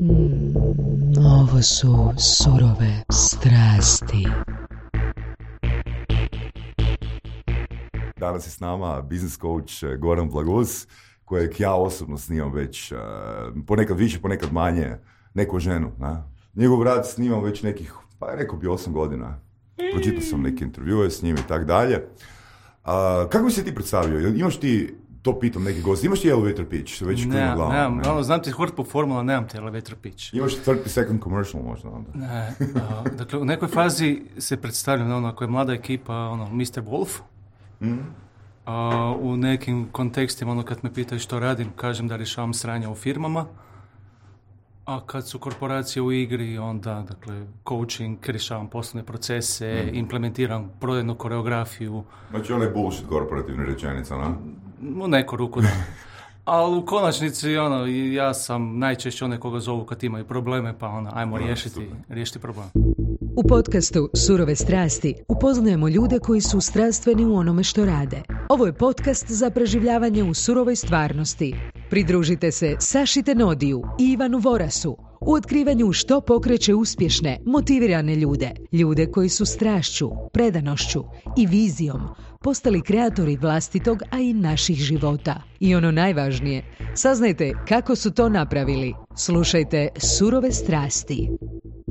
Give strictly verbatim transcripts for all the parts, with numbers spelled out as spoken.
Mm, ovo su surove strasti. Danas je s nama business coach Goran Blagus, kojeg ja osobno snimam već uh, ponekad više, ponekad manje, neku ženu. Na? Njegov rad snimam već nekih, pa rekao bi osam godina. Pročitao sam neke intervjue s njim i tak dalje. Uh, kako bi se ti predstavio? Imaš ti, to pitam neki gosti, imaš ti elevator pitch? Već ne, glavom, nemam, ne? ono, znam ti hortpo formula, nemam ti elevator pitch. Imaš thirty second commercial možda onda? Ne, uh, dakle, u nekoj fazi se predstavljam, ono, ako je mlada ekipa, ono, mister Wolf. Mm. A u nekim kontekstima, ono, kad me pitaju što radim, kažem da rješavam sranja u firmama, a kad su korporacije u igri, onda, dakle, coaching, rješavam poslovne procese, mm. implementiram prodajnu koreografiju. Znači, onaj bullshit korporativna rečenica, no? U neku ruku, da. Ali u konačnici, ono, ja sam najčešće onaj koga zovu kad imaju probleme, pa ono, ajmo no, riješiti, riješiti problem. U podcastu Surove strasti upoznajemo ljude koji su strastveni u onome što rade. Ovo je podcast za preživljavanje u surovoj stvarnosti. Pridružite se Saši Tenodiju i Ivanu Vorasu u otkrivanju što pokreće uspješne, motivirane ljude. Ljude koji su strašću, predanošću i vizijom postali kreatori vlastitog, a i naših života. I ono najvažnije, saznajte kako su to napravili. Slušajte Surove strasti.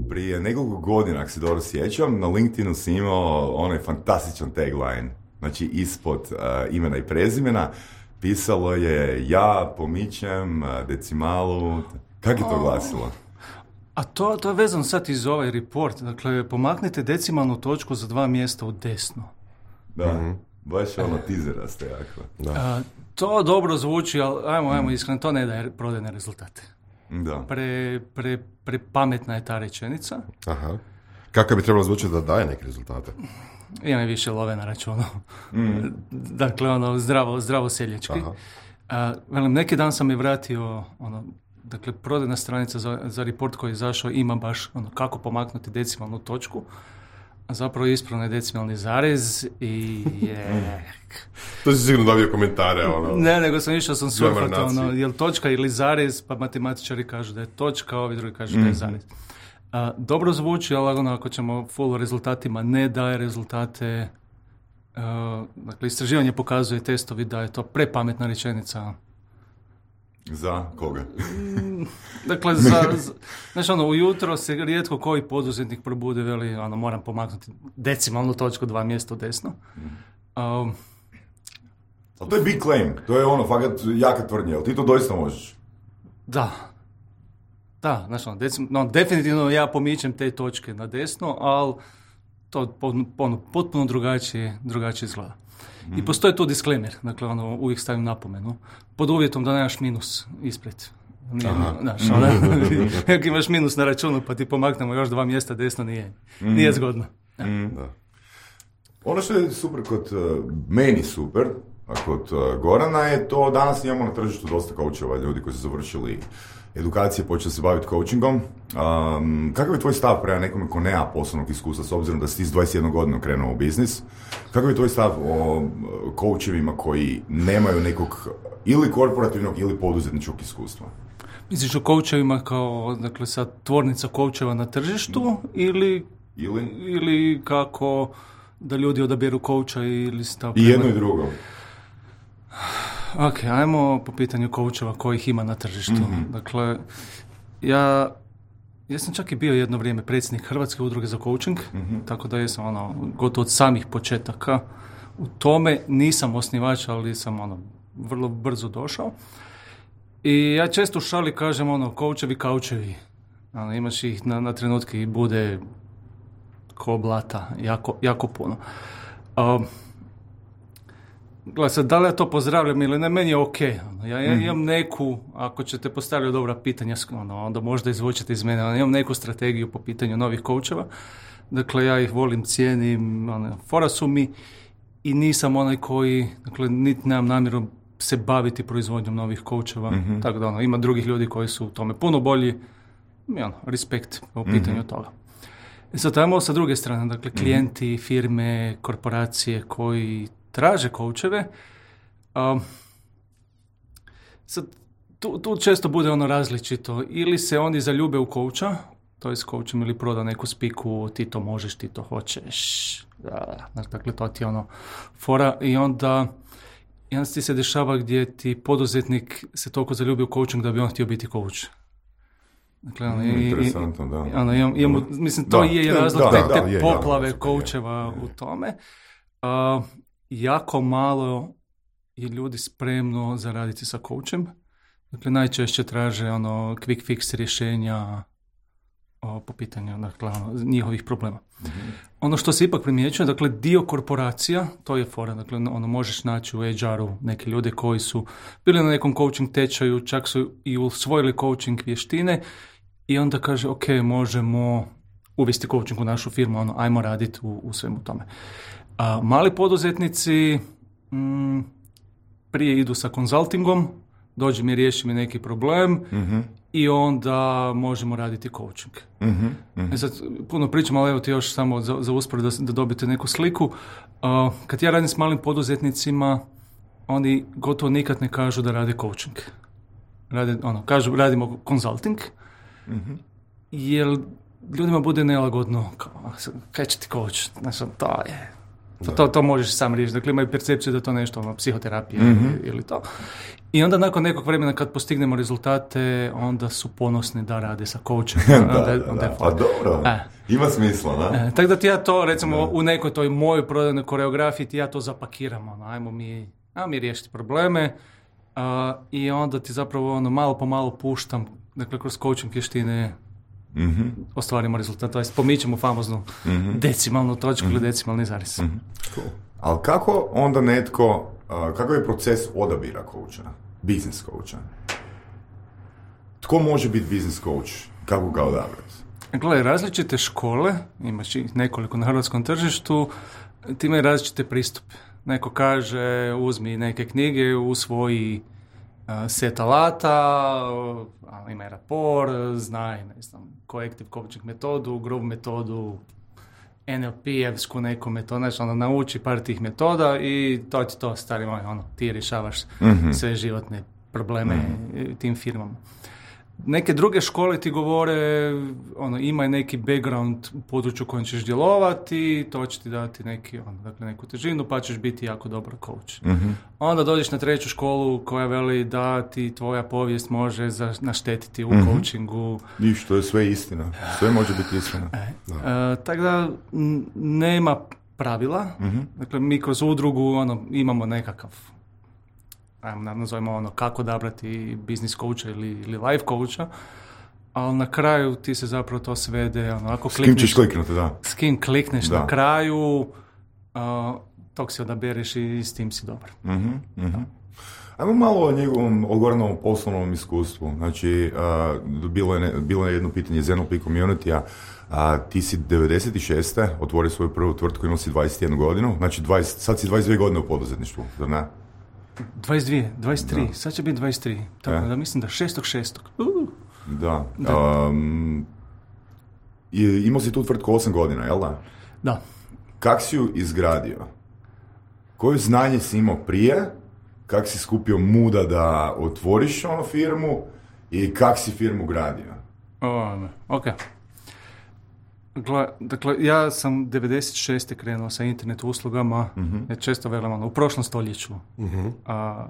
Prije nekoliko godina, ako se dobro sjećam, na LinkedInu si imao onaj fantastičan tagline. Znači, ispod uh, imena i prezimena pisalo je ja pomičem uh, decimalu. Kako je to glasilo? A to, to je vezano sad iz ovaj report. Dakle, pomaknite decimalnu točku za dva mjesta u desno. Da, mm-hmm. baš ono tizeraste jako. Da. A, to dobro zvuči, ali ajmo, ajmo iskreno, to ne daje prodajne rezultate. Da. Pre, pre, pre pametna je ta rečenica. Aha. Kako bi trebalo zvučiti da daje neke rezultate? Ima više love na računu. Mm. Dakle, ono, zdravo, zdravo seljački. A, velim, neki dan sam je vratio, ono, dakle, prodajna stranica za, za report koji je izašao ima baš ono, kako pomaknuti decimalnu točku. A zapravo je ispravno je decimalni zarez i je... To si sigurno dobio komentare, ono... Ne, nego sam išao sam surfati, ono, je li točka ili zarez, pa matematičari kažu da je točka, ovi drugi kažu mm-hmm. da je zarez. A, dobro zvuči, ali ono, ako ćemo full rezultatima, ne daje rezultate. A, dakle, istraživanje pokazuje, testovi, da je to prepametna rečenica. Za koga? Dakle, za, za, znači ono, ujutro se rijetko koji poduzetnik probude, veli, ono, moram pomaknuti decimalnu točku dva mjesta u desno. Um, Ali to je big claim, to je ono, fakat jaka tvrdnja, ali ti to doista možeš? Da. Da, znači ono, decim, no, definitivno ja pomičem te točke na desno, ali to ono, potpuno drugačije, drugačije izgleda. I postoji tu disclaimer, dakle, ono, uvijek stavim napomenu, pod uvjetom da nemaš minus ispred. Nije, znaš, ono, ako imaš minus na računu pa ti pomaknemo još dva mjesta desno, nije, mm. nije zgodno. Ja. Mm. Da. Ono što je super kod, uh, meni super, a kod uh, Gorana je to, danas imamo na tržištu dosta coacheva, ljudi koji su završili edukacije, počeli se baviti coachingom. Um, kakav je tvoj stav prema nekome ko nema poslovnog iskustva, s obzirom da si ti s dvadeset jedne godine krenuo u biznis? Kakav je tvoj stav o coachevima koji nemaju nekog ili korporativnog ili poduzetničkog iskustva? Misliš o coachevima kao, dakle, sad tvornica coacheva na tržištu mm. ili, ili ili kako da ljudi odaberu coacha ili stav? I jedno i drugo. Ok, ajmo po pitanju coacheva kojih ima na tržištu. Mm-hmm. Dakle, ja, ja sam čak i bio jedno vrijeme predsjednik Hrvatske udruge za coaching, mm-hmm. tako da jesam ono, gotovo od samih početaka u tome. Nisam osnivač, ali sam ono, vrlo brzo došao. I ja često u šali kažem ono, coachevi, kaučevi. Ono, imaš ih na, na trenutke i bude ko blata, jako, jako puno. Um, Gledaj, sad, da li ja to pozdravljam ili ne, meni je ok. Ono, ja, ja imam neku, ako ćete postavljati dobra pitanja, ono, onda možda izvučete iz mene, ono, imam neku strategiju po pitanju novih coacheva. Dakle, ja ih volim, cijenim, ono, fora su mi i nisam onaj koji, dakle, niti nemam namjeru se baviti proizvodnjom novih coacheva. Mm-hmm. Tako da, ono, ima drugih ljudi koji su u tome puno bolji, i ono, respekt po pitanju mm-hmm. toga. I sad, ajmo sa druge strane, dakle, klijenti, mm-hmm. firme, korporacije koji traže coacheve. Um, sad, tu, tu često bude ono različito. Ili se oni zaljube u coacha, to je s coachom ili proda neku spiku, ti to možeš, ti to hoćeš. Da, dakle, to ti je ono fora i onda jedan ti se dešava gdje ti poduzetnik se toliko zaljubi u coaching da bi on htio biti coach. Dakle, ono, mm, interesantno, da. Ono, imam, imam, mislim, to da, je da, razlog da, te, te da, je, poplave ja, coacheva je, je. u tome. Uh, jako malo je ljudi spremno zaraditi sa coachem. Dakle, najčešće traže ono quick fix rješenja o, po pitanju dakle, ono, njihovih problema. Mm-hmm. Ono što se ipak primjećuje, dakle, dio korporacija, to je fora, dakle, ono, možeš naći u H R-u neke ljude koji su bili na nekom coaching tečaju, čak su i usvojili coaching vještine i onda kaže, ok, možemo uvesti coaching u našu firmu, ono, ajmo raditi u, u svemu tome. A mali poduzetnici mm, prije idu sa konzultingom, dođi mi, riješi mi neki problem mm-hmm. i onda možemo raditi coaching. Mm-hmm. Mm-hmm. E sad, puno pričam, ali evo ti još samo za, za uspored da, da dobite neku sliku. Uh, kad ja radim s malim poduzetnicima, oni gotovo nikad ne kažu da rade coaching. Rade, ono, kažu radimo consulting, mm-hmm. jer ljudima bude nelagodno, kao, kaj će ti coach? Znači, to je... To, to, to možeš sam riješiti. Dakle, imaju percepciju da je to nešto, ono, psihoterapija mm-hmm. ili, ili to. I onda nakon nekog vremena kad postignemo rezultate, onda su ponosni da rade sa coachem. da, onda, da, onda da. Pa dobro, e. ima smisla, da? E, tako da ti ja to, recimo, da. u nekoj toj mojoj prodajnoj koreografiji ti ja to zapakiram. Ono, ajmo mi, ajmo mi riješiti probleme uh, i onda ti zapravo ono, malo po malo puštam, dakle, kroz coaching vještine mm-hmm. ostvarimo rezultat, to jest pomičemo famoznu mm-hmm. decimalnu točku mm-hmm. ili decimalni zarez. Mm-hmm. Cool. Ali kako onda netko, uh, kakav je proces odabira coacha, business coacha? Tko može biti business coach? Kako ga odabrati? Gledaj, različite škole, imaš ih nekoliko na hrvatskom tržištu, ti imaju različite pristupe. Neko kaže, uzmi neke knjige, usvoji uh, set alata, uh, ima rapor, znaj, ne znam, collective coaching metodu, group metodu, N L P-evsku neku metodu, znači ono, nauči par tih metoda i to ti to, stari moj, ono, ti rješavaš mm-hmm. sve životne probleme mm-hmm. tim firmama. Neke druge škole ti govore, ono, imaj neki background u području kojem ćeš djelovati, to će ti dati neki, ono, dakle, neku težinu, pa ćeš biti jako dobar coach. Mm-hmm. Onda dođeš na treću školu koja veli da ti tvoja povijest može za, naštetiti u mm-hmm. coachingu. I što je sve istina. Sve može biti istina. E, da. E, tako da n- nema pravila. Mm-hmm. Dakle, mi kroz udrugu ono, imamo nekakav, ajmo nazovimo ono, kako odabrati business coacha ili, ili life coacha, ali na kraju ti se zapravo to svede, ono, ako klikneš... S kim ćeš kliknuti, da. S kim klikneš da. na kraju, uh, tog si odabereš i s tim si dobar. Mm-hmm, mm-hmm. Ajmo malo o njegovom odgovornom poslovnom iskustvu. Znači, uh, bilo, je ne, bilo je jedno pitanje iz N L P community-a. A ti si devedeset šeste otvorio svoju prvu tvrtku, imao si dvadeset jednu godinu, znači dvadeset, sad si dvadeset dvije godine u poduzetništvu, zar ne? dvadeset dvije, dvadeset tri, da. Sad će biti dvadeset tri, tako e? da mislim da šestog šestog Uh. Da. da. Um, imao si tu tvrtku osam godina, jel da? Da. Kak si ju izgradio? Koje znanje si imao prije? Kak si skupio muda da otvoriš onu firmu? I kak si firmu gradio? O, ok. Dakle, ja sam devedeset šeste krenuo sa internet uslugama, mm-hmm. ja često velim ono, u prošlom stoljeću mm-hmm. a,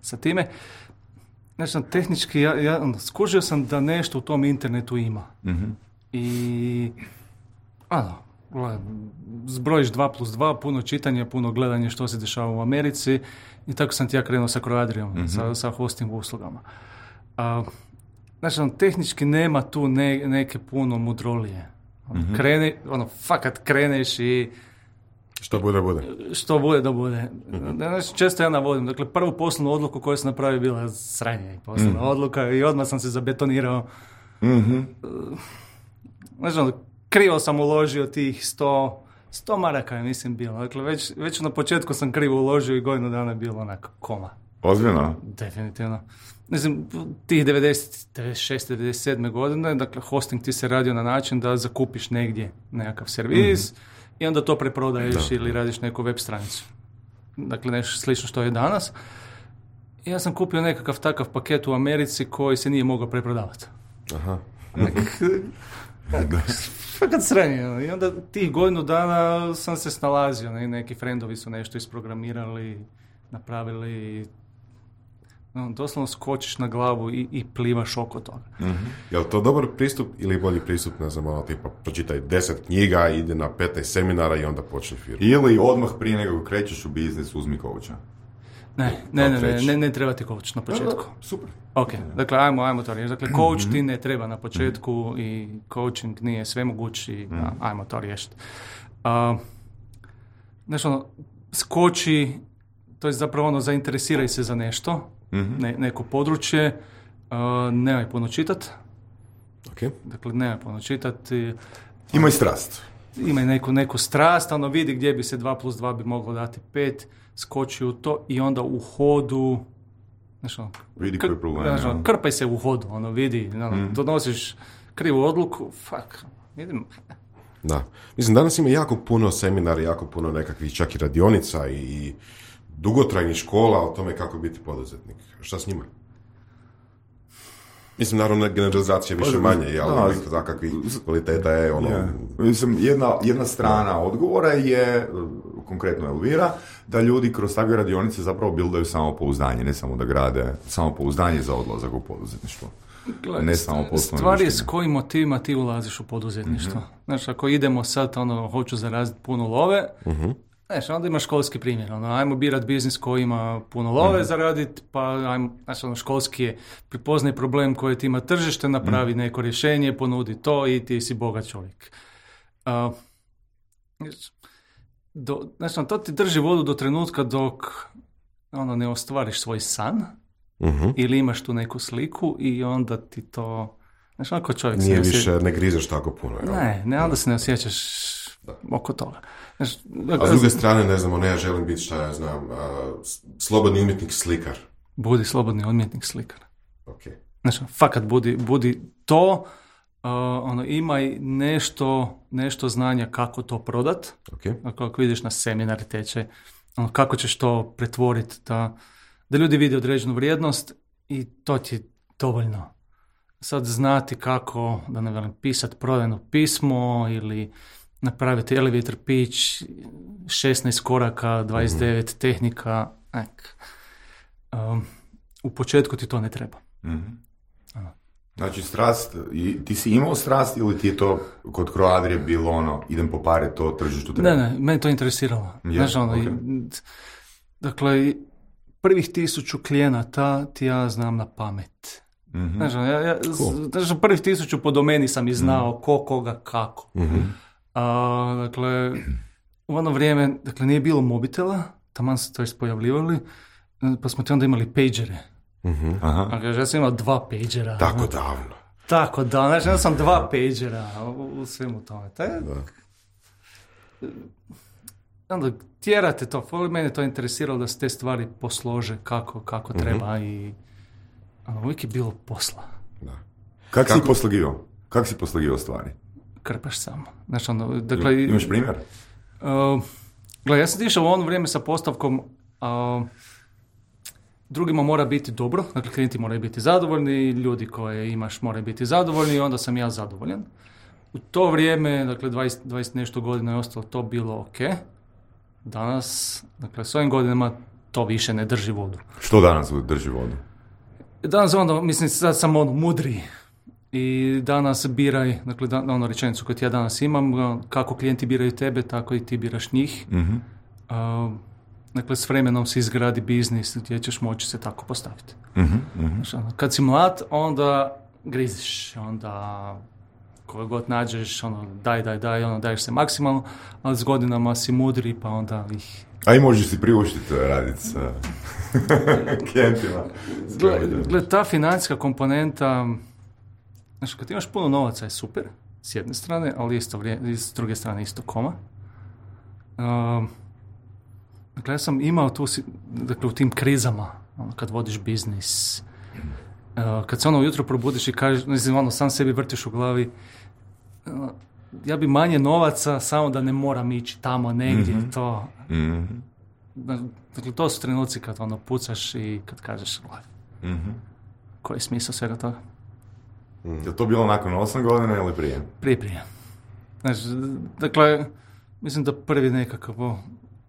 sa time. Znači, tehnički, ja, ja skužio sam da nešto u tom internetu ima. Mm-hmm. I, ano, zbrojiš dva plus dva, puno čitanja, puno gledanja što se dešava u Americi i tako sam ti ja krenuo sa Croadriom, mm-hmm. sa, sa hosting uslugama. A, znači, on, tehnički nema tu ne, neke puno mudrolije. Mm-hmm. Kreni, ono, fakat kreneš i... Što bude, bude. Što bude, da bude. Mm-hmm. Znači, često ja navodim. Dakle, prvu poslovnu odluku koju sam napravio bila sranje i poslovna mm-hmm. odluka i odmah sam se zabetonirao. Mm-hmm. Znači, ono, krivo sam uložio tih sto, sto maraka je, mislim, bilo. Dakle, već, već na početku sam krivo uložio i godinu dana je bilo onako koma. Ozbiljno? Definitivno. Mislim, tih devedeset, devedeset šeste, devedeset sedme godine, dakle, hosting ti se radio na način da zakupiš negdje nekakav servis mm-hmm. i onda to preprodaješ da. ili radiš neku web stranicu. Dakle, nešto slično što je danas. Ja sam kupio nekakav takav paket u Americi koji se nije mogao preprodavati. Aha. Fakat sranje. I onda tih godinu dana sam se snalazio. Ne? Neki frendovi su nešto isprogramirali, napravili. No, doslovno skočiš na glavu i, i plivaš oko toga. Mm-hmm. Je li to dobar pristup ili bolji pristup, ne znam, ono, tipa, pročitaj deset knjiga, ide na petnaest seminara i onda počne firmu? Ili odmah prije nego krećeš u biznis, uzmi coacha. Ne, ne, ne, ne, ne, ne treba ti coach na početku. Da, da, super. Ok, dakle, ajmo, ajmo to riješiti. Dakle, coach ti ne treba na početku i coaching nije svemogući, mm. ajmo to riješiti. Uh, znači, ono, skoči, to je zapravo ono, zainteresiraj se za nešto, mm-hmm. ne, neko područje, uh, nemoj puno čitat. Okay. Dakle, nemoj puno čitati. Imaj strast. Imaj neku, neku strast, ono vidi gdje bi se dva plus dva bi moglo dati pet, skoči u to i onda u hodu, znači, ono, vidi kr- koji je problem. Znači, ono, krpaj se u hodu, ono, vidi, ono, mm. donosiš krivu odluku, fuck, idem. Da. Mislim, danas ima jako puno seminara, jako puno nekakvih čak i radionica i dugotrajnih škola o tome kako biti poduzetnik. Šta s njima? Mislim, naravno, generalizacija više manje, ali za kakvih kvaliteta je ono... Yeah. Mislim, jedna, jedna strana da. odgovora je, konkretno Elvira, da ljudi kroz takve radionice zapravo buildaju samopouzdanje, ne samo da grade samopouzdanje za odlazak u poduzetništvo. Gle, ne samo poslovne stvar je s kojim motivima ti ulaziš u poduzetništvo. Mm-hmm. Znači, ako idemo sad, ono, hoću zaraziti puno love, mm-hmm. Znači, onda imaš školski primjer, ono, ajmo birat biznis koji ima puno love mm-hmm. zaraditi, pa ajmo, znači, ono, školski je prepoznaj problem koji ti ima tržište, napravi mm-hmm. neko rješenje, ponudi to i ti si bogat čovjek. Uh, do, znači, to ti drži vodu do trenutka dok ono, ne ostvariš svoj san, mm-hmm. ili imaš tu neku sliku i onda ti to... Znači, ako čovjek nije se više, ne grizeš tako puno. Jel? Ne, ne, onda se ne osjećaš da. oko toga. Znači, a s druge strane, ne znam, ne, ja želim biti, šta ja znam, uh, slobodni umjetnik slikar. Budi slobodni umjetnik slikar. Ok. Znači, fakat budi, budi to, uh, ono, imaj nešto, nešto znanja kako to prodat. Okay. Ako, ako vidiš na seminari tečaj, ono, kako ćeš to pretvoriti, da, da ljudi vide određenu vrijednost i to ti je dovoljno. Sad znati kako, da ne velim, pisati prodajno pismo ili napraviti elevator pitch, šesnaest koraka, dvadeset devet mm-hmm. tehnika. Ek. Um, u početku ti to ne treba. Mm-hmm. Znači, strast, i, ti si imao strast ili ti je to kod Croadrije bilo ono, idem po pare, to tržištu treba? Ne, ne, meni to interesiralo. Yeah, znači, ono, okay. i, dakle, prvih tisuću klijenata ti ja znam na pamet. Mm-hmm. Znači, ja, ja, cool. znači, prvih tisuću po domeni sam i znao mm-hmm. ko, koga, kako. Mm-hmm. A, dakle, u ono vrijeme, dakle, nije bilo mobitela, taman se to pojavljivali, pa smo ti onda imali pagere. Mm-hmm. Aha. Dakle, ja sam imao dva pagera. Tako davno. Tako davno, znači ja sam dva pagera u, u svemu tome. Taj, onda tjerate to, mene to interesiralo da se te stvari poslože kako, kako mm-hmm. treba i ono, uvijek je bilo posla. Da. Kak kako si poslagivao? Kako si poslagivao stvari? Krpaš samo. Znači, ono, dakle, imaš primjer? Uh, gledaj, ja sam išao u ono vrijeme sa postavkom uh, drugima mora biti dobro, dakle klijenti moraju biti zadovoljni, ljudi koje imaš moraju biti zadovoljni i onda sam ja zadovoljan. U to vrijeme, dakle dvadeset, dvadeset nešto godina je ostalo to bilo ok. Danas, dakle s ovim godinama to više ne drži vodu. Što danas drži vodu? Danas onda, mislim, sad sam ono mudri i danas biraj, dakle da, ono rečenicu koju ja danas imam, kako klijenti biraju tebe, tako i ti biraš njih. Mm-hmm. Uh, Dakle, s vremenom se izgradi biznis gdje ćeš moći se tako postaviti. Mm-hmm, mm-hmm. Znači, kad si mlad, onda griziš, onda koje god nađeš, ono, daj, daj, daj, ono, daješ se maksimalno, ali s godinama si mudri, pa onda ih... A i možeš si priuštiti raditi sa klijentima. Gled, gled, ta financijska komponenta, znači, kad imaš puno novaca je super, s jedne strane, ali isto vrije, s druge strane isto koma. Um, Dakle, ja sam imao tu, dakle, u tim krizama, ono, kad vodiš biznis, uh, kad se ono ujutro probudiš i kažeš, mislim, ono, sam sebi vrtiš u glavi, uh, ja bi manje novaca, samo da ne moram ići tamo negdje, mm-hmm. to. Mm-hmm. Dakle, to su trenuci kad ono pucaš i kad kažeš, Mhm. koji je smisao svega toga? Je to bilo nakon osam godina ili prije? Prije, prije. Znači, dakle, mislim da prvi nekakav o,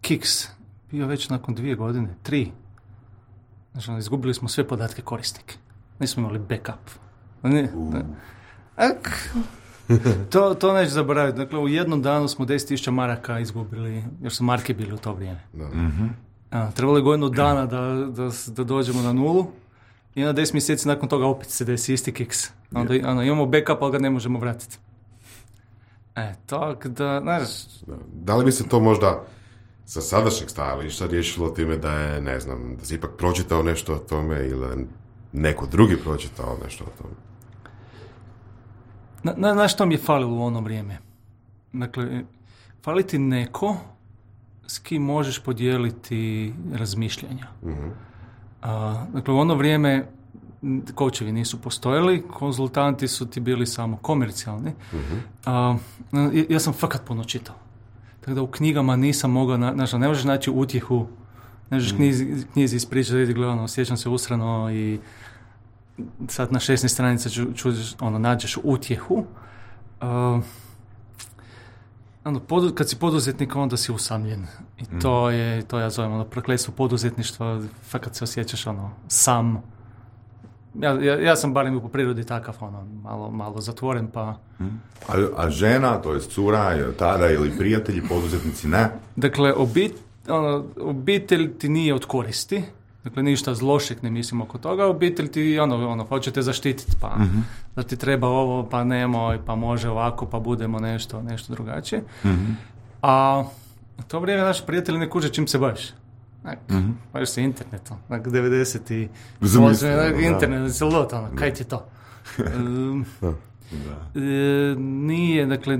kiks bio već nakon dvije godine, tri. Znači, ono, izgubili smo sve podatke korisnike. Nismo imali backup. Ne, ne. Ak, to, to neću zaboraviti. Dakle, u jednom danu smo deset tisuća maraka izgubili, još su marke bili u to vrijeme. Da. Mhm. A, trebalo je godinu dana da, da, da dođemo na nulu i na deset mjeseci nakon toga opet se desi isti kiks. Onda ono, imamo backup, ali ga ne možemo vratiti. E, tako da, znaš... Da. Da li bi se to možda sa sadašnjeg stajališta riješilo time da je, ne znam, da si ipak pročitao nešto o tome ili neko drugi pročitao nešto o tome? Na, na, na što mi je falilo u ono vrijeme? Dakle, fali ti neko s kim možeš podijeliti razmišljanja. Mhm. A, dakle, u ono vrijeme koučevi nisu postojali, konzultanti su ti bili samo komercijalni. Mhm. A, ja, ja sam fakat puno čitao. Tako da u knjigama nisam mogao, na, znači, ne možeš naći utjehu, ne možeš knjizi, knjizi ispričati, vidi, gledano, osjećam se usrano i sad na šesnaest stranica ču, čuđeš, ono, nađeš utjehu. Uh, ono, podu, kad si poduzetnik, onda si usamljen. I mm. to je, to ja zovem, ono, prokletstvo poduzetništva, fakat se osjećaš, ono, sam. Ja, ja, ja sam barem po prirodi takav, ono, malo, malo zatvoren, pa... Mm. A, a žena, to je cura, tada ili prijatelji, poduzetnici, ne? Dakle, obit, ono, obitelj ti nije od koristi. Dakle, ništa zlošeg ne mislim oko toga. Obitelj ti, ono, ono, hoćete zaštititi, pa mm-hmm. da ti treba ovo, pa nemoj, pa može ovako, pa budemo nešto, nešto drugačije. Mm-hmm. A u to vrijeme naši prijatelji ne kuže čim se baviš. Mm-hmm. Baviš se internetom. Dakle, devedeset i osam internet, se lot, ono, kaj ti je to? um, da. E, nije, dakle,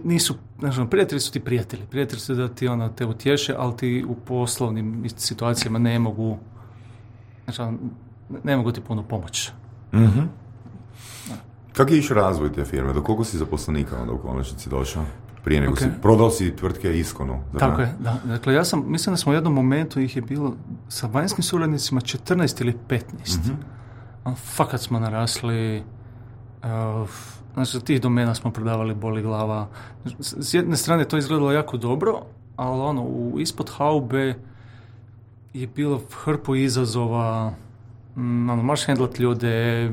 nisu, znači, prijatelji su ti prijatelji. Prijatelji su da ti ono, te utješe, ali ti u poslovnim situacijama ne mogu, znači, ne mogu ti puno pomoći. Mm-hmm. Kako je išao razvoj te firme? Do koliko si zaposlenika onda u konačnici došao? Prije nego okay. si prodao si tvrtke Iskonu. Tako je, da. Dakle, ja sam, mislim da smo u jednom momentu ih je bilo sa vanjskim suradnicima četrnaest ili petnaest. Mm-hmm. Fakat smo narasli. Uh, Znači, tih domena smo prodavali boli glava. S jedne strane to izgledalo jako dobro, ali ono, u, ispod haube je bilo hrpu izazova, mm, ono, moraš hendlat ljude,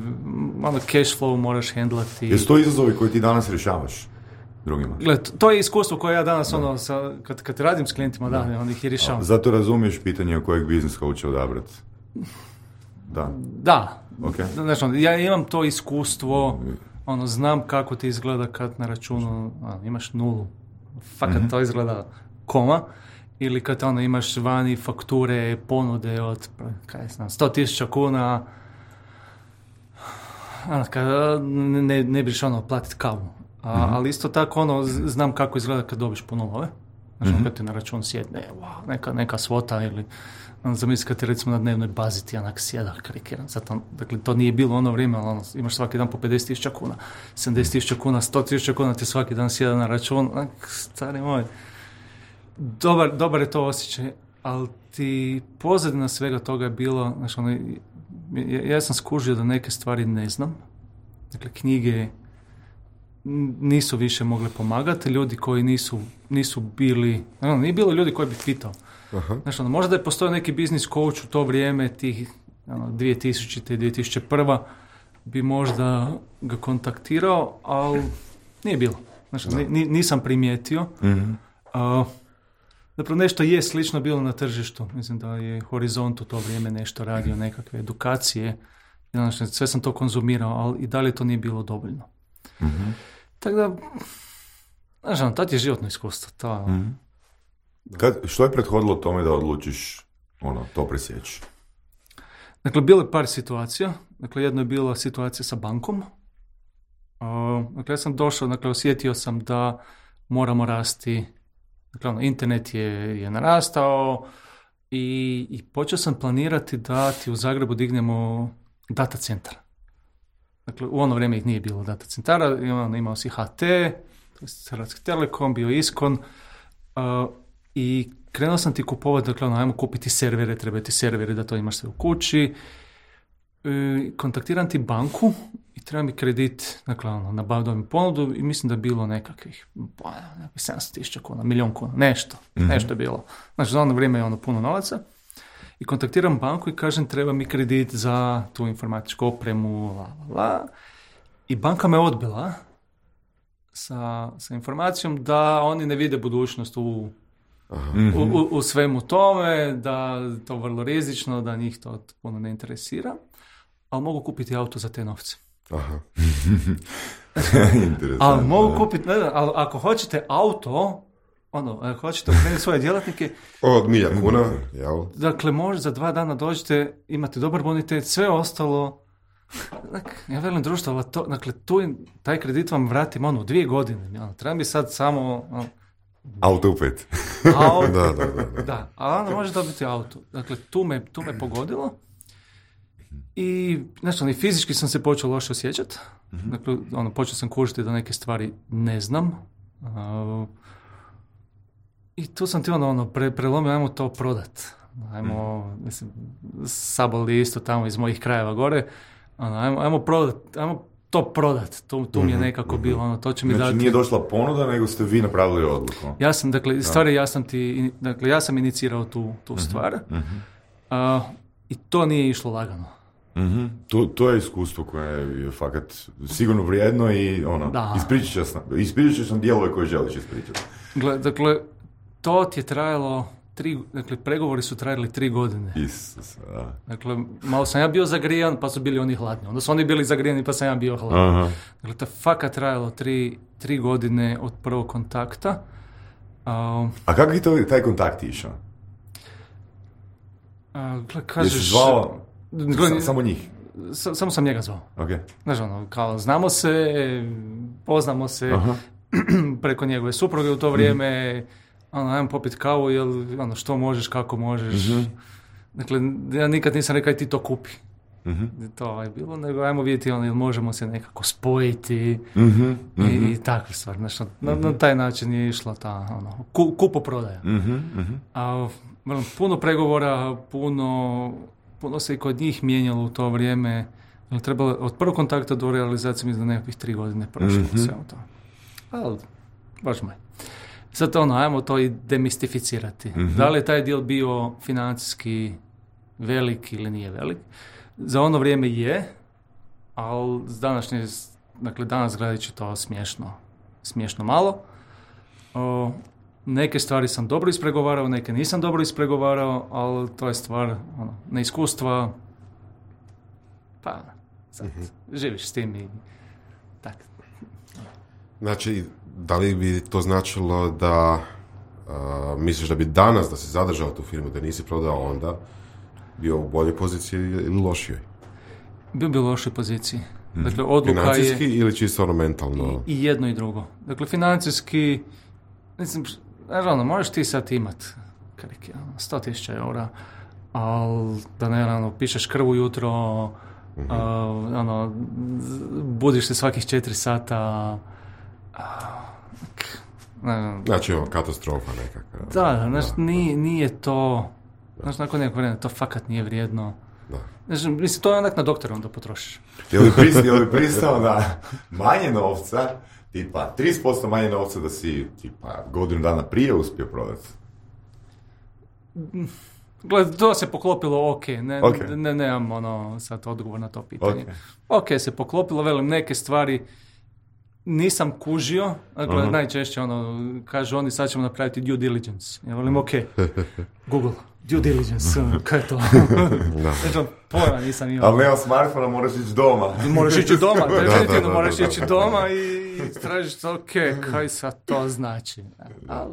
ono, cash flow moraš hendlati. Jesu to izazovi koji ti danas rješavaš drugima? Gled, to je iskustvo koje ja danas, da. ono, sa, kad, kad radim s klijentima, da, da onda ih i rješavam. Zato razumiješ pitanje o kojeg biznis coacha odabrati? Da. Da. Okay. Znači, ono, ja imam to iskustvo, ono, znam kako ti izgleda kad na računu ono, imaš nulu. Fakat mm-hmm. to izgleda koma. Ili kad ono, imaš vani fakture, ponude od kaj znam, sto tisuća kuna. Ono, kad ne, ne biš ono, platiti kavu. A, mm-hmm. Ali isto tako ono, znam kako izgleda kad dobiš po nulove. Znači, mm-hmm. kad ti na račun sjedne, wow, neka, neka svota ili... Zamisli kad ti recimo na dnevnoj bazi ti onak sjeda karikiran. Zato, dakle, to nije bilo ono vrijeme, ali ono, imaš svaki dan po pedeset tisuća kuna, sedamdeset tisuća kuna, sto tisuća kuna ti svaki dan sjeda na račun. Onak, stari moj, dobar, dobar je to osjećaj, ali ti pozadina svega toga je bilo, znači, ono, ja, ja sam skužio da neke stvari ne znam. Dakle, knjige nisu više mogle pomagati, ljudi koji nisu, nisu bili, ono, nije bilo ljudi koji bi pitao. Aha. Znači, ono, možda je postojao neki biznis coach u to vrijeme, tih ono, dvije tisućite i dvije tisuće prva bi možda ga kontaktirao, ali nije bilo. Znači, ni, nisam primijetio. Mm-hmm. Uh, zapravo nešto je slično bilo na tržištu. Mislim da je Horizont u to vrijeme nešto radio, nekakve edukacije. Znači, sve sam to konzumirao, ali i dalje to nije bilo dovoljno. Mm-hmm. Tako da, znači, ono, tad je životno iskustvo. To, mm-hmm. Kad, što je prethodilo tome da odlučiš ono, to presjeći? Dakle, bilo je par situacija. Dakle, jedno je bila situacija sa bankom. Uh, dakle, ja sam došao, dakle, osjetio sam da moramo rasti. Dakle, ono, internet je, je narastao i, i počeo sam planirati da ti u Zagrebu dignemo data centar. Dakle, u ono vrijeme ih nije bilo data centara. Imao, imao si H T, Hrvatski Telekom, bio Iskon. Uh, i krenuo sam ti kupovati, dakle, ono, ajmo kupiti servere, treba ti servere da to imaš sve u kući. E, kontaktiram ti banku i treba mi kredit, dakle, ono, nabavio mi ponudu i mislim da je bilo nekakvih, pa, nekakvih sedamsto tisuća kuna, milijon kuna, nešto, mm-hmm. nešto je bilo. Znači, za ono vrijeme je ono puno novaca. I kontaktiram banku i kažem, treba mi kredit za tu informatičku opremu, la, la, la. I banka me odbila sa, sa informacijom da oni ne vide budućnost u, u, u, u svemu tome, da to je vrlo rizično, da njih to puno ne interesira, ali mogu kupiti auto za te novce. Aha. Ali mogu kupiti, ne znam, ali ako hoćete auto, ono, ako hoćete okrenuti svoje djelatnike... Od milja kuna, jel? Dakle, može za dva dana dođete, imate dobar bonitet, sve ostalo... Dakle, ja velim društvo, ali to, dakle, tu taj kredit vam vratim, ono, dvije godine. Ono, treba mi sad samo... Ono, auto upet. Auto, da, da, da, da. da, ali onda može dobiti auto. Dakle, tu me, tu me pogodilo. I, znači, i fizički sam se počeo loše osjećati. Mm-hmm. Dakle, ono, počeo sam kužiti da neke stvari ne znam. Uh, I tu sam ti ono, ono pre, prelomio, ajmo to prodat. Ajmo, mm. mislim, Saboli isto tamo iz mojih krajeva gore. Ono, ajmo, ajmo prodat, ajmo to prodat. Tu, tu mi je nekako mm-hmm. bilo, ono, to će mi znači, dati... Znači nije došla ponuda, nego ste vi napravili odluku. Ja sam, dakle, stvari, ja sam ti, dakle, ja sam inicirao tu, tu mm-hmm. stvar. Mm-hmm. Uh, I to nije išlo lagano. Mm-hmm. To, to je iskustvo koje je fakat sigurno vrijedno i ono, ispričat ćeš nam, ispričat ćeš nam dijelove koje želiš ispričati. Gle, dakle, to ti je trajalo tri, dakle, pregovori su trajali tri godine. Isus, da. Dakle, malo sam ja bio zagrijan, pa su bili oni hladni. Onda su oni bili zagrijani, pa sam ja bio hladan. Aha. Dakle, to je fakat trajalo tri, tri godine od prvog kontakta. Um, A kako je to, taj kontakt išao? A, gle, kažeš... Jesi zvao gle, sam, samo njih? Sa, samo sam njega zvao. Okay. Znaš, ono, kao, znamo se, poznamo se, aha. preko njegove supruge u to vrijeme, mm. ono, ajmo popiti kavu, jel, ono, što možeš, kako možeš. Mm-hmm. Dakle, ja nikad nisam rekao, aj ti to kupi. Mm-hmm. To je bilo, nego ajmo vidjeti, ono, jel možemo se nekako spojiti mm-hmm. i, mm-hmm. i takve stvari. Znači, na, mm-hmm. na taj način je išla ta, ono, ku, kupoprodaja. Mm-hmm. Mm-hmm. A, vrlo, puno pregovora, puno, puno se i kod njih mijenjalo u to vrijeme. Trebalo, od prvog kontakta do realizacije mislim da nekakvih tri godine prošlo mm-hmm. sve to. Ali, baš moj. Sad ono, ajmo to i demistificirati. Mm-hmm. Da li je taj deal bio financijski velik ili nije velik? Za ono vrijeme je, ali današnje, dakle danas gledajući to smiješno, smiješno malo. O, neke stvari sam dobro ispregovarao, neke nisam dobro ispregovarao, ali to je stvar ono, neiskustva, pa sad, mm-hmm. živiš s tim i tako. Znači, da li bi to značilo da uh, misliš da bi danas, da si zadržao tu firmu, da nisi prodao onda, bio u boljoj poziciji ili lošijoj? Bio bi u lošoj poziciji. Hmm. Dakle, odluka financijski je, ili čisto ono mentalno? I, I jedno i drugo. Dakle, financijski, mislim, ono, možeš ti sad imat karike, sto tisuća eura, ali da ne, ono, pišeš krv ujutro, mm-hmm. uh, ono, budiš se svakih četiri sata, Ne, znači ovo, katastrofa nekakva. Da, znači, nije, nije to, znači, nakon nekog vremena, to fakat nije vrijedno. Da. Znači, mislim, to je onak na doktora onda potrošiš. Je li pristao, je li pristao na manje novca, tipa trideset posto manje novca da si, tipa, godinu dana prije uspio prodati? Gled, to se poklopilo ok, ne, okay. ne, nemam ono, sad odgovor na to pitanje. Ok, okay se poklopilo, velim, neke stvari nisam kužio, dakle, uh-huh. najčešće ono, kažu oni sad ćemo napraviti due diligence. Ja volim, ok, Google, due diligence, kaj je to? Znači, pojma nisam imao. Ali nema smartfona, moraš ići doma. Moraš ići doma, definitivno moraš ići doma i tražiš, ok, kaj sad to znači. Ali,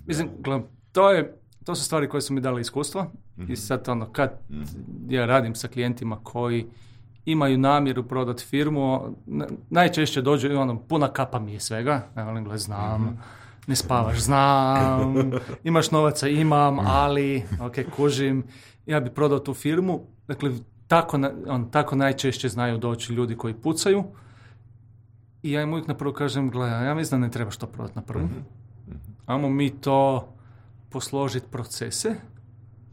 mislim, gledam, to je, to su stvari koje su mi dale iskustvo mm-hmm. i sad ono, kad ja radim sa klijentima koji imaju namjeru prodati firmu, najčešće dođe ono, puna kapa mi je svega, ja volim gled, znam, mm-hmm. ne spavaš, znam, imaš novaca, imam, ali, ok, kužim, ja bi prodao tu firmu, dakle, tako, on, tako najčešće znaju doći ljudi koji pucaju i ja im uvijek na prvo kažem, gledaj, ja mislim da ne trebaš to prodati na prvu, mm-hmm. ajmo mi to posložiti procese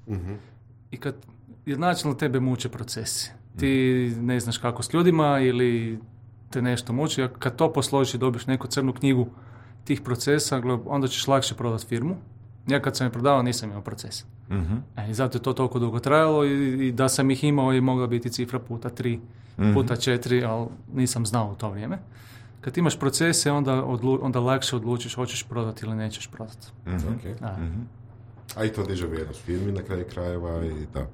Mhm. i kad jer načelno tebe muče procesi. Ti ne znaš kako s ljudima ili te nešto muči, a kad to posložiš i dobiš neku crnu knjigu tih procesa, gle, onda ćeš lakše prodati firmu. Ja kad sam je prodavao nisam imao proces. Mhm. E, I zato je to toliko dugo trajalo i, i da sam ih imao i mogla biti cifra puta tri, Mhm. puta četiri, ali nisam znao u to vrijeme. Kad imaš procese, onda, odlu, onda lakše odlučiš hoćeš prodati ili nećeš prodati. Okay. Da. A i to diže vrijednost firmi na kraju krajeva i da.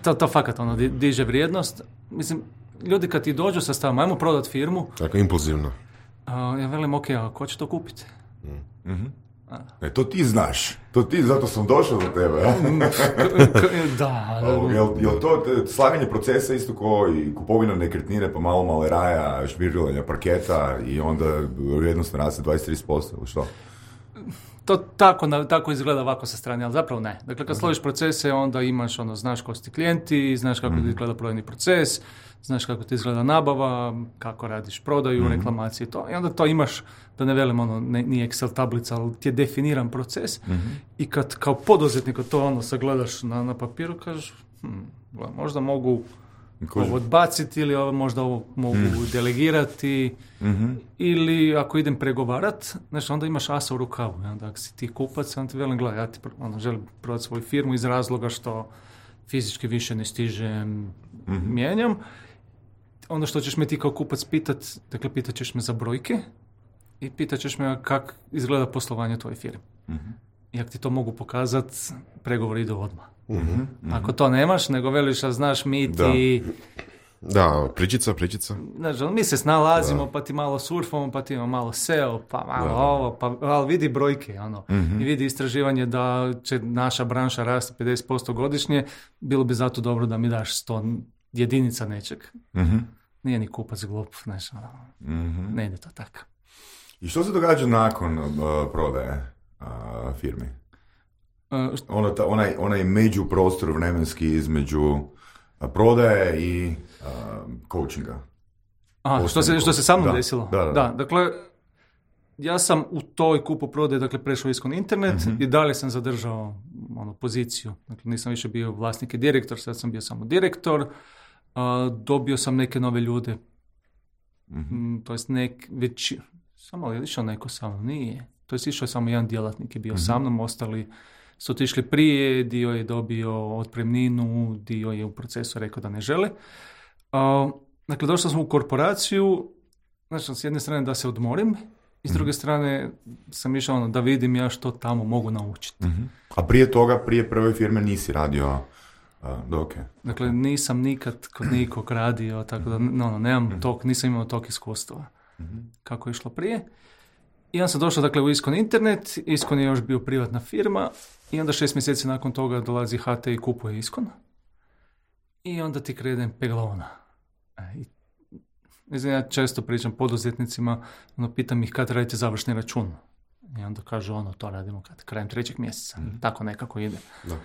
To, to fakat ono, di- diže vrijednost. Mislim, ljudi kad ti dođu sa stavom, ajmo prodati firmu, Tako impulzivno. a, ja velim, ok, a ko će to kupiti? E, to ti znaš. To ti, zato sam došao do tebe. Ja? K- k- da, Ovo, Jel, jel to te- slaganje procesa isto kao i kupovina nekretnine pa malo malo raja, šmirilanja parketa i onda vrijednost raste dvadeset do trideset posto ili što? to tako, na- tako izgleda ovako sa strane, ali zapravo ne. Dakle, kad složiš procese, onda imaš, ono, znaš ko su ti klijenti, znaš kako ti izgleda prodajni proces, znaš kako ti izgleda nabava, kako radiš prodaju, reklamacije i to. I onda to imaš, da ne velim, ono, ne, nije Excel tablica, ali ti je definiran proces. I kad kao poduzetnik to ono sagledaš na, na papiru, kažeš, hm, gle, možda mogu Kužim. ovo odbaciti ili ovo, možda ovo mogu delegirati ili ako idem pregovarat, znači onda imaš asa u rukavu. I onda ako si ti kupac, onda ti velim, gledaj, ja ti pro- ono, želim prodati svoju firmu iz razloga što fizički više ne stižem, mijenjam. Ono što ćeš me ti kao kupac pitat, dakle pitat ćeš me za brojke i pitat ćeš me kako izgleda poslovanje tvoje firme. I ako ti to mogu pokazat, pregovori idu odmah. Ako to nemaš, nego veliš, a znaš mi ti, Da, pričica, pričica. znaš, ono, mi se snalazimo, pa ti malo surfamo, pa ti imamo malo S E O, pa malo ovo, pa, ali vidi brojke, ono, i vidi istraživanje da će naša branša rasti pedeset posto godišnje, bilo bi zato dobro da mi daš sto jedinica nečeg. Nije ni kupac glup, znaš, ono, ne ide to tako. I što se događa nakon uh, prodaje uh, firmi? Uh, Ono, ta, onaj, onaj međuprostor vremenski između uh, prodaje i uh, coachinga. Aha, što se, što se sa mnom Da, desilo? da, da, da. dakle, ja sam u toj kupu prodaje, dakle, prešao iskon internet i dalje sam zadržao ono, poziciju. Dakle, nisam više bio vlasnik i direktor, sad sam bio samo direktor. A, dobio sam neke nove ljude. Mm, to jest nek, već, samo je išao neko sa mnom? Nije. To jest išao je samo jedan djelatnik je bio sa mnom, ostali su otišli prije, dio je dobio otpremninu, dio je u procesu rekao da ne žele. A, dakle, došao sam u korporaciju, znači, s jedne strane da se odmorim, i s druge strane sam išao ono, da vidim ja što tamo mogu naučiti. A prije toga, prije prve firme nisi radio uh, dok je? Dakle, nisam nikad kod nikog radio, tako da no, no, nemam tog, nisam imao tog iskustva kako je išlo prije. I onda sam došao, dakle, u Iskon Internet, Iskon je još bio privatna firma i onda šest mjeseci nakon toga dolazi H T i kupuje Iskon. I onda ti krene peglaona. E, i, mislim, ja često pričam poduzetnicima, ono, pitam ih kad radite završni račun. I onda kažu, ono, to radimo kad, krajem trećeg mjeseca. Tako nekako ide. Da.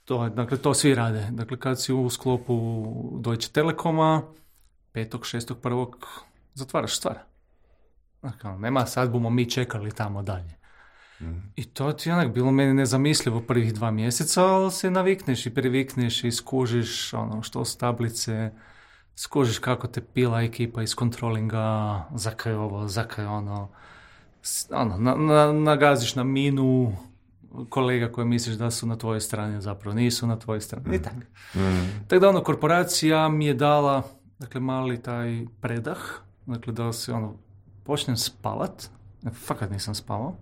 To, je, dakle, to svi rade. Dakle, kad si u sklopu Deutsche Telekoma, petog, šestog, prvog, zatvaraš stvar. Dakle, nema sad bumo mi čekali tamo dalje. I to ti je onak bilo meni nezamislivo prvih dva mjeseca, ali se navikneš i privikneš i skužiš ono što s tablice, skužiš kako te pila ekipa iz kontrolinga, zakaj ovo, zakaj ono, S- ono na, na, nagaziš na minu kolega koje misliš da su na tvojoj strani, a zapravo nisu na tvojoj strani. I tako. Tako da ono, korporacija mi je dala, dakle, mali taj predah, dakle, da se ono, počnem spavat, fakat nisam spavao,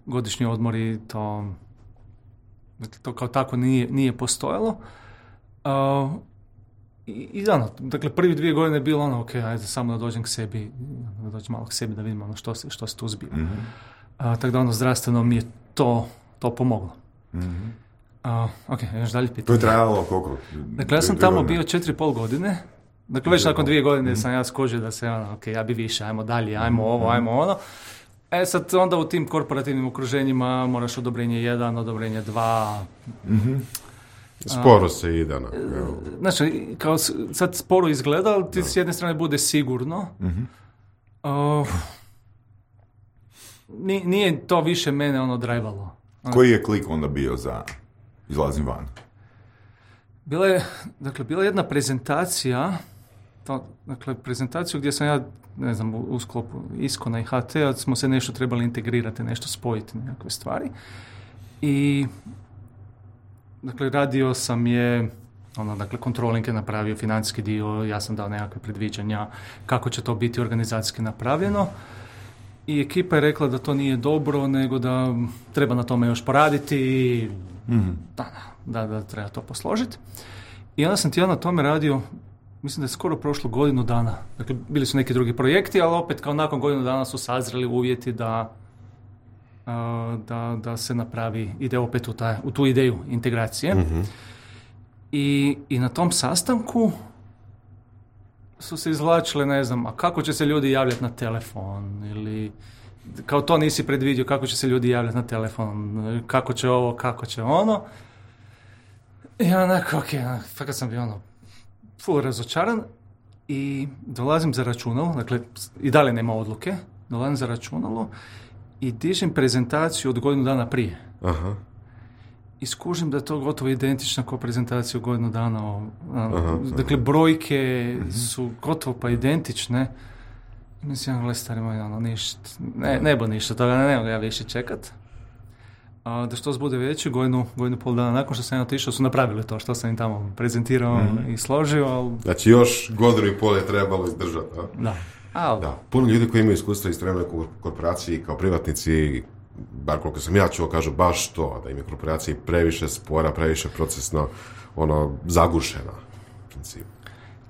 godišnji odmori, to, dakle, to kao tako nije, nije postojalo. Uh, I, i ono, dakle, prvi dvije godine je bilo ono, ok, ajde samo da dođem k sebi, da dođem malo k sebi da vidim ono što se, što se tu zbiva. Mm-hmm. Uh, tako da ono, zdravstveno mi je to, to pomoglo. Mm-hmm. Uh, ok, još dalje pitanje. To je trajalo koliko? Dakle, ja sam Dvije tamo godine? bio četiri i pol godine. Dakle, već nakon dvije godine sam ja skužio da se, ono, ok, ja bi više, ajmo dalje, ajmo ovo, ajmo ono. E sad, onda u tim korporativnim okruženjima moraš odobrenje jedan, odobrenje dva. Sporo se ide. Na, evo. Znači, kao s- sad sporo izgleda, ali ti s jedne strane bude sigurno. Uh, ni- nije to više mene ono drajvalo. Koji je klik onda bio za izlazim van? Bila je, dakle, bila je jedna prezentacija, to, dakle, prezentaciju gdje sam ja, ne znam, u, u sklopu Iskona i H T-a smo se nešto trebali integrirati, nešto spojiti, nekakve stvari. I, dakle, radio sam je, ono, dakle, controlling je napravio financijski dio, ja sam dao nekakve predviđanja kako će to biti organizacijski napravljeno. I ekipa je rekla da to nije dobro, nego da treba na tome još poraditi i mm-hmm. da, da, da treba to posložiti. I onda sam ti ja na tome radio, mislim da je skoro prošlo godinu dana. Dakle, bili su neki drugi projekti, ali opet kao nakon godinu dana su sazreli uvjeti da, da, da se napravi, ide opet u, taj, u tu ideju integracije. Mm-hmm. I, I na tom sastanku su se izvlačile, ne znam, a kako će se ljudi javljati na telefon ili kao to nisi predvidio kako će se ljudi javljati na telefon, kako će ovo, kako će ono. I onako, ok, fakat sam bio ono full razočaran i dolazim za računalo, dakle i dalje nema odluke, dolazim za računalo i dižem prezentaciju od godinu dana prije. Aha. I skužim da je to gotovo identično kao prezentaciju godinu dana. O, aha, dakle, aha. brojke uh-huh. su gotovo pa identične. Mislim, gle, stari moj, ono, ništa, ne, ne bo ništa toga, ne, ne mogu ja više čekat. A, da što bude veći, godinu, godinu pol dana nakon što sam ja otišao, su napravili to što sam im tamo prezentirao uh-huh. i složio. Ali... Znači, još godinu i pol je trebalo izdržati, a? Da. Ali... da. Puno ljudi koji imaju iskustva iz trenutne korporaciji kao privatnici, bar koliko sam ja čuo, kažu baš to, da im je korporacija previše spora, previše procesno, ono, zagušena.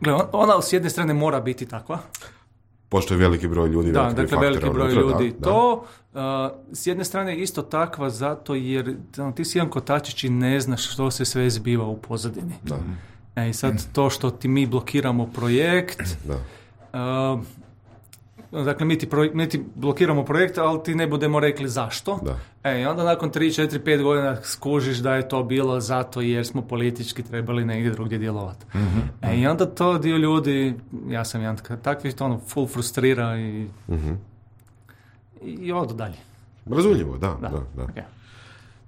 Gle, ona s jedne strane mora biti takva. Pošto je veliki broj ljudi, da, veliki dakle, broj veliki faktora, broj unutra, ljudi. Da, to, da. Uh, s jedne strane je isto takva zato jer no, ti si jedan kotačić i ne znaš što se sve zbiva u pozadini. Da. E, i sad to što ti mi blokiramo projekt, da. Uh, Dakle, mi ti, pro, mi ti blokiramo projekt, ali ti ne budemo rekli zašto. Da. E, i onda nakon tri, četiri, pet godina skužiš da je to bilo zato jer smo politički trebali negdje drugdje djelovati. Mm-hmm. E, i onda to dio ljudi, ja sam jedan takvi, to ono, full frustrira i, mm-hmm. i odu dalje. Razumljivo, da. Da, da, da. Okay.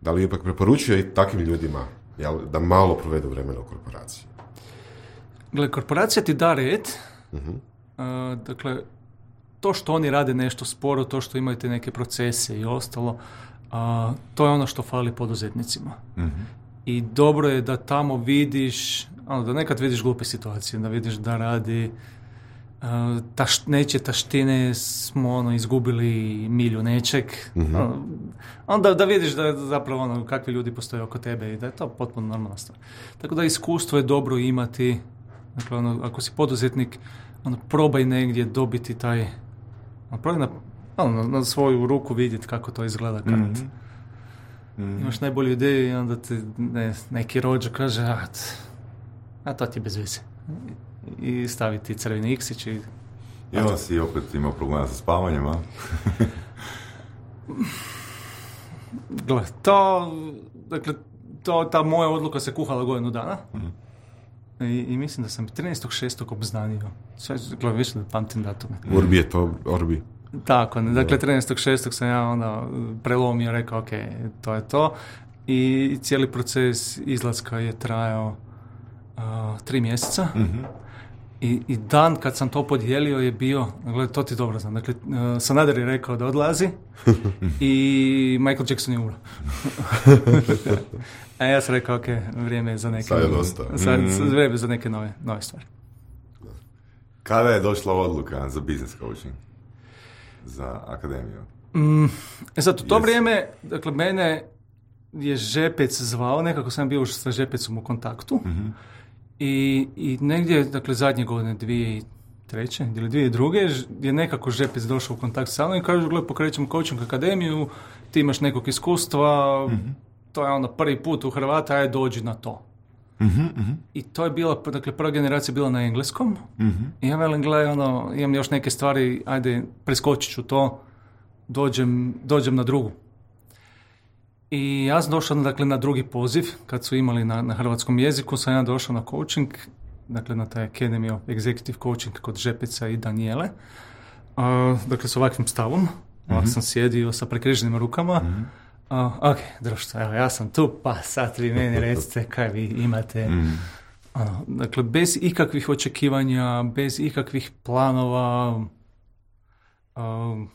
Da li ipak preporučuje i takvim ljudima jel, da malo provedu vremena u korporaciji? Gle, korporacija ti da red, mm-hmm. uh, dakle, to što oni rade nešto sporo, to što imaju te neke procese i ostalo, a, to je ono što fali poduzetnicima. Mm-hmm. I dobro je da tamo vidiš, ono, da nekad vidiš glupe situacije, da vidiš da radi a, taš, neće taštine, smo ono, izgubili milju nečeg. Mm-hmm. A, onda da vidiš da zapravo ono, kakvi ljudi postoje oko tebe i da je to potpuno normalna stvar. Tako da iskustvo je dobro imati, dakle, ono, ako si poduzetnik, ono, probaj negdje dobiti taj, probaj na, ono, na svoju ruku vidjeti kako to izgleda kad mm-hmm. Mm-hmm. imaš najbolju ideju i onda ti ne, neki rođa kaže a, a to ti je bez veze i stavi ti crveni iksić i... I onda si opet imao problema sa spavanjem, a? Gle, to, dakle, to, ta moja odluka se kuhala godinu dana. Mm-hmm. I, I mislim da sam trinaestog šestog obznanio. Sve, gledam, više da pamtim datume. Urbi je to, Orbi. Tako, ne, dakle, trinaestog šestog sam ja onda prelomio, rekao, ok, to je to. I cijeli proces izlaska je trajao uh, tri mjeseca. Mm-hmm. I, I dan kad sam to podijelio je bio, dakle, to ti dobro znam, dakle, uh, Sanader je rekao da odlazi i Michael Jackson je umro. A ja sam rekao, ok, vrijeme je za neke... Sad je dosta. Sad, mm-hmm. vrijeme za neke nove, nove stvari. Kada je došla odluka za business coaching? Za akademiju? Mm, e sad, u to yes. vrijeme, dakle, mene je Žepec zvao, nekako sam bio už sa Žepecom u kontaktu. Mm-hmm. I, I negdje, dakle, zadnje godine, dvije treće ili dvije druge, je nekako Žepec došao u kontakt sa mnom i kaže, gle, pokrećemo coaching akademiju, ti imaš nekog iskustva, mm-hmm. to je ono prvi put u Hrvata, aj dođi na to. Mm-hmm, mm-hmm. I to je bila, dakle, prva generacija bila na engleskom. Mm-hmm. I ja velim, gle, ono, imam još neke stvari, ajde, preskočit ću to, dođem, dođem na drugu. I ja sam došao, dakle, na drugi poziv, kad su imali na, na hrvatskom jeziku, sam ja došao na coaching, dakle, na taj Academy of Executive Coaching kod Žepeca i Danijele. Uh, dakle, s ovakvim stavom, mm-hmm. ovak sam sjedio sa prekriženim rukama, mm-hmm. Uh, ok, društvo, evo, ja sam tu, pa sad vi meni recite kaj vi imate. Mm. Ono, dakle, bez ikakvih očekivanja, bez ikakvih planova. Um,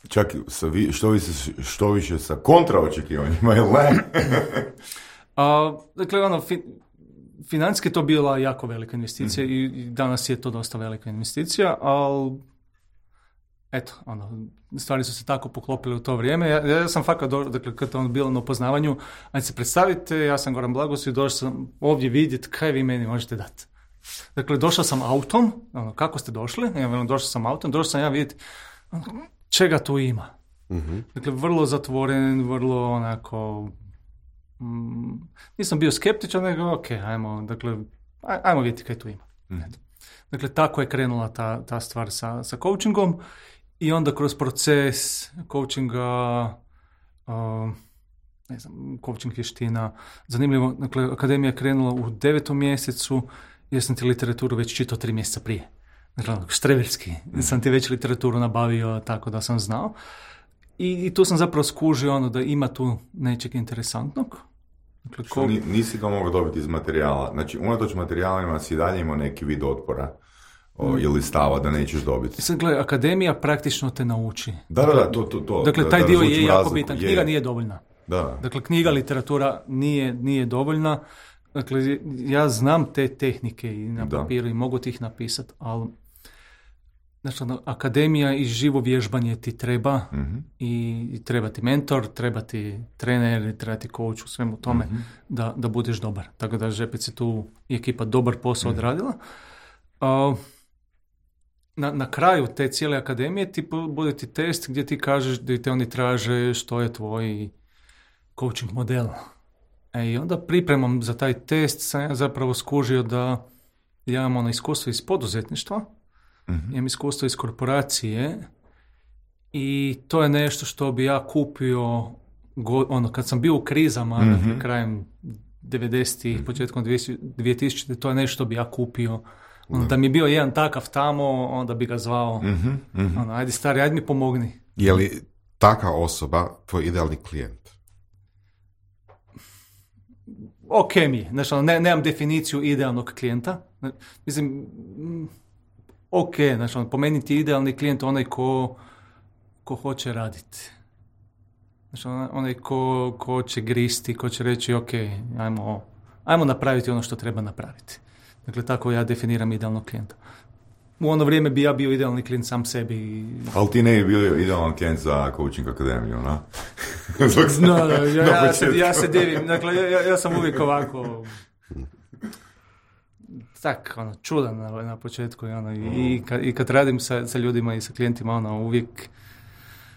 Čak sa vi, što, više, što više sa kontraočekivanjima, ili ne? uh, dakle, ono, fi, financijski to bila jako velika investicija mm. i, i danas je to dosta velika investicija, ali eto, ono, stvari su se tako poklopile u to vrijeme. Ja, ja sam fakat, do, dakle, kad je ono bilo na upoznavanju, ajde se predstavite, ja sam Goran Blagos i došao sam ovdje vidjeti kaj vi meni možete dati. Dakle, došao sam autom, ono, kako ste došli? Ja velim, došao sam autom, došao sam ja vidjeti ono, čega tu ima. Mm-hmm. Dakle, vrlo zatvoren, vrlo onako, mm, nisam bio skeptičan, nego ok, ajmo, dakle, aj, ajmo vidjeti kaj tu ima. Mm-hmm. Dakle, tako je krenula ta, ta stvar sa, sa coachingom. I onda kroz proces coachinga, uh, ne znam, coaching vještina, zanimljivo, dakle, akademija je krenula u devetom mjesecu, jer sam ti literaturu već čitao tri mjeseca prije. Dakle, štreberski, mm. sam ti već literaturu nabavio tako da sam znao. I, i tu sam zapravo skužio ono da ima tu nečeg interesantnog. Dakle, ko... Što nisi to mogao dobiti iz materijala? Znači, unatoč materijalima si dalje imao neki vid otpora. O, ili stava da nećeš dobiti. Sad gledaj, akademija praktično te nauči. Da, da, da, to, to, to. Dakle, taj da, dio je jako bitan. Knjiga je. Nije dovoljna. Da. Dakle, knjiga, literatura nije, nije dovoljna. Dakle, ja znam te tehnike i na papiru da. I mogu ti ih napisati, ali znači, akademija i živo vježbanje ti treba mm-hmm. i, i treba ti mentor, treba ti trener, treba ti coach u svemu tome mm-hmm. da, da budeš dobar. Tako da Žepec je tu i ekipa dobar posao mm-hmm. odradila. Uh, Na, na kraju te cijele akademije ti bude ti test gdje ti kažeš da te oni traže što je tvoj coaching model. E, i onda pripremom za taj test sam ja zapravo skužio da ja imam ono iskustvo iz poduzetništva, mm-hmm. imam iskustvo iz korporacije i to je nešto što bi ja kupio go, ono, kad sam bio u krizama mm-hmm. dakle, krajem devedesetih, mm-hmm. početkom dvije tisućite, to je nešto što bi ja kupio. Ono, da mi je bio jedan takav tamo, onda bi ga zvao, mm-hmm, mm-hmm. Ono, ajde stari, ajde mi pomogni. Je li taka osoba tvoj idealni klijent? Ok mi je, znači, ono, ne, nemam definiciju idealnog klijenta. Mislim, ok, znači, ono, po meni ti idealni klijent onaj ko, ko hoće raditi. Znači, onaj ko, ko će gristi, ko će reći, ok, ajmo, ajmo napraviti ono što treba napraviti. Dakle, tako ja definiram idealnog klijenta. U ono vrijeme bi ja bio idealni klijent sam sebi. Ali ti ne bi bio idealan klijent za coaching akademiju, na? no, no, ja, ja, se, ja se divim. Dakle, ja, ja sam uvijek ovako tak, ono, čudan na, na početku. Ono, i, i, kad, I kad radim sa, sa ljudima i sa klijentima, ono, uvijek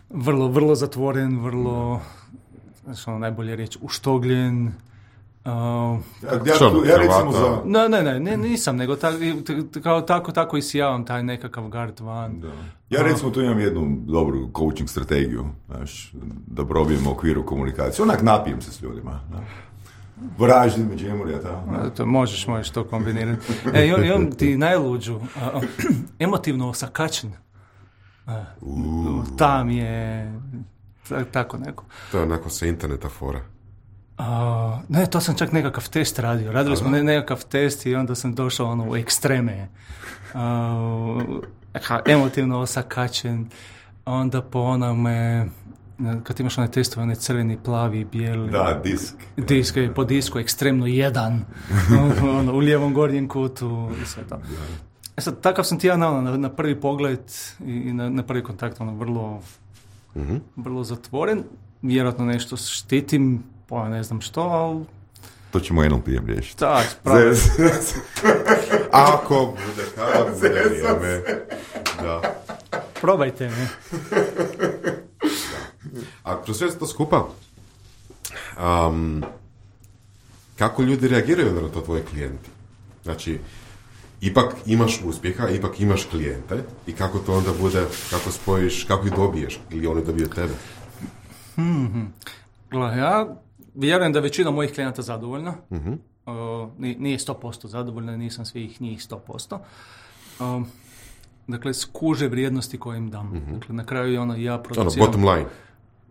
vrlo, vrlo zatvoren, vrlo, znači, ono, najbolje reći, uštogljen. Uh, ja, ja, ja recimo za... No, ne, ne, ne, nisam, nego ta, kao, tako, tako i sijavam taj nekakav gard van. Da. Ja recimo tu imam jednu dobru coaching strategiju, znaš, da probijem u okviru komunikacije. Onak napijem se s ljudima. Vraždim među emurija, ta. To možeš, možeš to kombinirati. E, i on, i on ti najluđu, uh, emotivno osakačen. Uh, tam je tako neko. To je onako sa interneta fora. Uh, ne, to sam čak nekakav test radio. Radili smo ne, nekakav test i onda sam došao ono, u ekstreme. Uh, emotivno osakačen. Onda po onome, kad imaš one testove, one crveni, plavi, bijeli. Da, disk. Disk, po disku, ekstremno jedan. ono, u lijevom gornjem kutu i sve to. E sad, takav sam ti ja na, na, na prvi pogled i, i na, na prvi kontakt ono, vrlo, mm-hmm. vrlo zatvoren. Vjerojatno nešto štitim, pa ne znam što, ali... To ćemo N L P-em riješiti. Tak, spravi. Ako bude, kada bude vrijeme. Da. Probajte me. A kroz sve to skupa, um, kako ljudi reagiraju na to tvoje klijenti? Znači, ipak imaš uspjeha, ipak imaš klijente i kako to onda bude, kako spojiš, kako ih dobiješ ili oni dobiju tebe? Hmm. Gle, ja vjerujem da većina mojih klijenata zadovoljna. Uh-huh. Uh, nije sto posto zadovoljna, nisam svih njih sto posto. Uh, dakle, skuže vrijednosti koje im dam. Uh-huh. Dakle, na kraju je ono ja produciram... Ono, bottom line.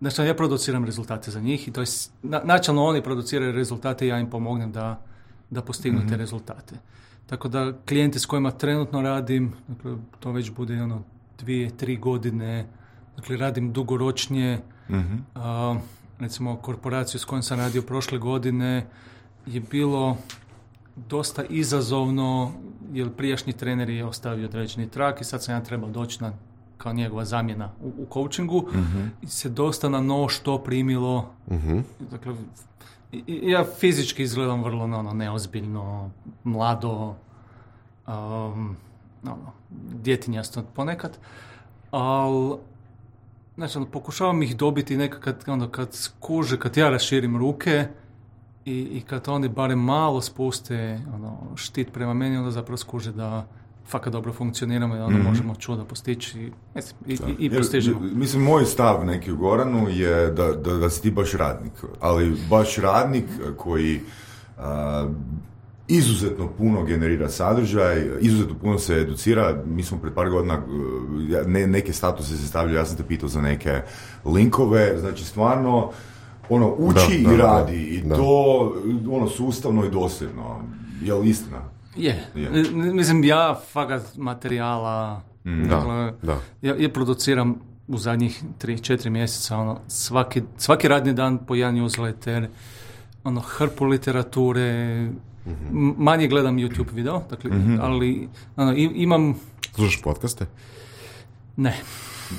Znači, ja produciram rezultate za njih i to je, na, načelno oni produciraju rezultate i ja im pomognem da, da postignu mm-hmm. te rezultate. Tako da klijenti s kojima trenutno radim, dakle, to već bude ono dvije, tri godine, dakle radim dugoročnije. Mm-hmm. A, recimo korporaciju s kojom sam radio prošle godine je bilo dosta izazovno, jer prijašnji trener je ostavio određeni trak i sad sam ja trebao doći na, kao njegova zamjena u, u coachingu mm-hmm. i se dosta na no što primilo. Mm-hmm. Dakle, ja fizički izgledam vrlo ono, neozbiljno, mlado, um, ono, djetinjasto ponekad, ali znači, ono, pokušavam ih dobiti nekad ono, kad skuže, kad ja raširim ruke i, i kad oni barem malo spuste ono, štit prema meni, onda zapravo skuže da fakat dobro funkcioniramo i onda mm-hmm. možemo čuda postići mislim, i, i, i postižemo. Mislim, moj stav neki u Goranu je da, da, da si ti baš radnik, ali baš radnik koji a, izuzetno puno generira sadržaj, izuzetno puno se educira. Mi smo pred par godina ne, neke statuse se stavljaju, ja sam te pitao za neke linkove, znači stvarno ono, uči da, i da, radi da, i da. To ono, sustavno i dosljedno. Je li istina? Je. Yeah. Mislim, ja fakat materijala mm, dakle, da, da. Ja, ja produciram u zadnjih tri četiri mjeseca ono, svaki, svaki radni dan po jedan newsletter, ono, hrpu literature, mm-hmm. manje gledam YouTube video, dakle, mm-hmm. ali ono, imam... Slušaš podcaste? Ne.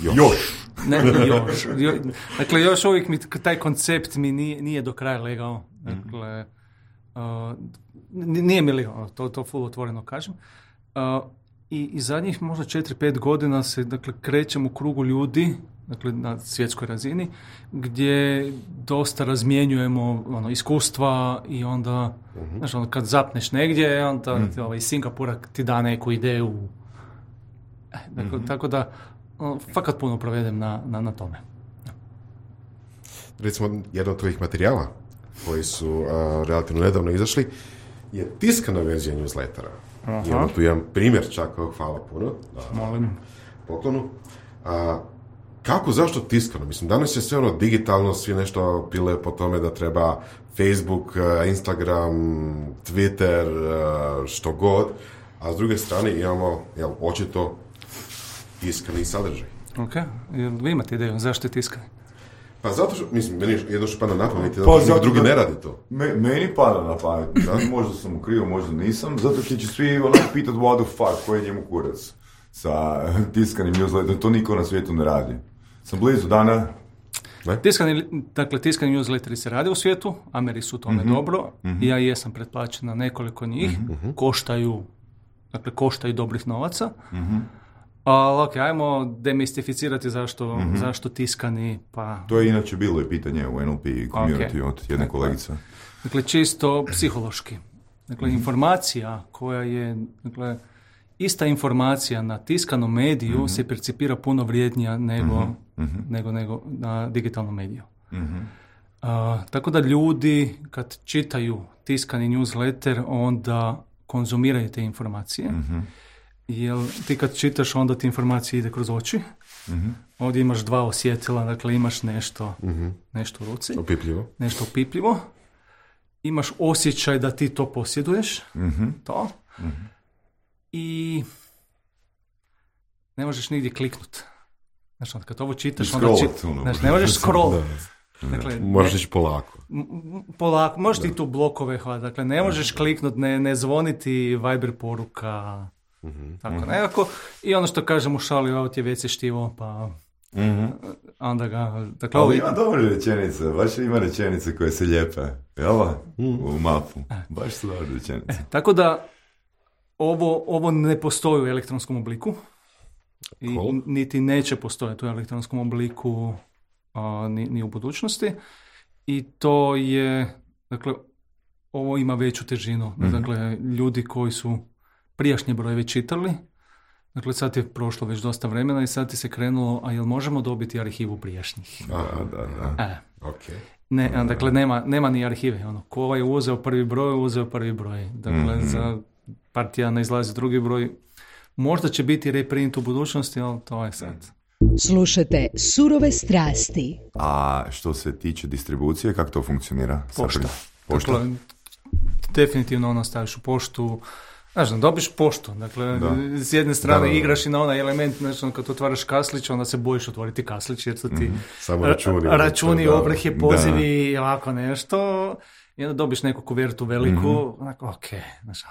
Još. još. Ne, još. Jo, dakle, još uvijek mi taj koncept mi nije, nije do kraja legao. Dakle, uh, nije mi legao, to, to full otvoreno kažem. Uh, i, I zadnjih možda četiri pet godina se, dakle, krećem u krugu ljudi, dakle, na svjetskoj razini, gdje dosta razmjenjujemo ono, iskustva i onda, uh-huh. znaš, ono, kad zapneš negdje, onda uh-huh. ovaj, iz Singapura ti da neku ideju. Eh, dakle, uh-huh. Tako da, ono, fakat puno provedem na, na, na tome. Recimo, jedan od tvojih materijala koji su uh, relativno nedavno izašli je tiskana verzija newslettera. Imamo tu jedan primjer čak, hvala puno. Da, molim. Poklonu. A, kako, zašto tiskano? Mislim, danas je sve ono digitalno, svi nešto pile po tome da treba Facebook, Instagram, Twitter, što god, a s druge strane imamo, jel, očito tiskani sadržaj. Ok, jel vi imate ideju zašto je tiskani? Pa zato što, mislim, meni jedno što pada na pamet, zato što pa, drugi da, ne radi to. Me, meni pada na pamet, možda sam u krivu, možda nisam, zato što će svi ono pitat what the fuck, koji je njemu kurac sa tiskanim newsletterom, to niko na svijetu ne radi. Sam blizu dana. Ne? Tiskani, dakle, tiskani newsletteri se rade u svijetu, Ameri su tome mm-hmm. dobro, mm-hmm. ja jesam pretplaćen na nekoliko njih, mm-hmm. koštaju, dakle, koštaju dobrih novaca. Mm-hmm. Ali ok, ajmo demistificirati zašto, mm-hmm. zašto tiskani, pa... To je inače bilo i pitanje u N L P community okay. od jedne kolegice. Dakle, čisto psihološki. Dakle, mm-hmm. informacija koja je, dakle, ista informacija na tiskanom mediju mm-hmm. se percipira puno vrijednija nego, mm-hmm. nego, nego na digitalnom mediju. Mm-hmm. Uh, tako da ljudi, kad čitaju tiskani newsletter, onda konzumiraju te informacije. Mm-hmm. Jer ti kad čitaš, onda ti informacija ide kroz oči. Mm-hmm. Ovdje imaš dva osjetila, dakle imaš nešto, mm-hmm. nešto u ruci. Opipljivo. Nešto opipljivo. Imaš osjećaj da ti to posjeduješ. Mm-hmm. To. Mm-hmm. I ne možeš nigdje kliknut. Znači, kad ovo čitaš, onda čitaš. Znači, ne možeš scroll. Dakle, možeš ići polako. Polako. Možeš ti tu blokove hvala. Dakle, ne možeš kliknut, ne, ne zvoniti Viber poruka. Mm-hmm. Tako mm-hmm. nekako. I ono što kažem u šali, ovo ti je već štivo, pa mm-hmm. onda ga... Dakle, ali ima dobre rečenice, baš ima rečenice koje se lijepe. Jel? Mm. U mapu. Baš su dobre rečenice. E, tako da ovo, ovo ne postoji u elektronskom obliku. I cool. niti neće postojati u elektronskom obliku a, ni, ni u budućnosti. I to je, dakle, ovo ima veću težinu. Mm-hmm. Dakle, ljudi koji su prijašnje brojeve čitali, dakle sad je prošlo već dosta vremena i sad ti se krenulo, a jel možemo dobiti arhivu prijašnjih? A, da, da. E. Okay. Ne, a, dakle nema, nema ni arhive. Ono, ko je uzeo prvi broj, uzeo prvi broj. Dakle, mm-hmm. za par tjedana izlazi drugi broj. Možda će biti reprint u budućnosti, ali to je sad. Slušate Surove strasti. A što se tiče distribucije, kako to funkcionira? Pošta. Pošta? Dakle, definitivno ono staviš u poštu, znaš, dobiš poštu, dakle, Da. s jedne strane Da, da, da. igraš i na onaj element, znači, ono, kad otvaraš kaslić, onda se bojiš otvoriti kaslić, jer su ti Mhm. Samo računi. ra- računi, Da. ovrhe, pozivi i ovako nešto, i onda dobiš neku kuvertu veliku, onako, ok, znaš, ah,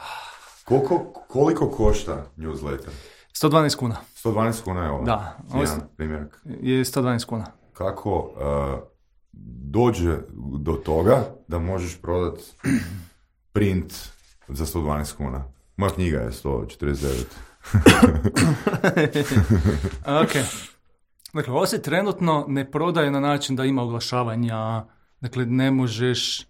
Koliko, koliko košta newsletter? sto dvanaest kuna, sto dvanaest kuna je ovo. Da. Ovo Jedan je- primjerak. je sto dvanaest kuna. Kako uh, dođe do toga da možeš prodat print za sto dvanaest kuna? Moja knjiga je sto četrdeset devet. Ok. Dakle, ovo se trenutno ne prodaje na način da ima oglašavanja, dakle, ne možeš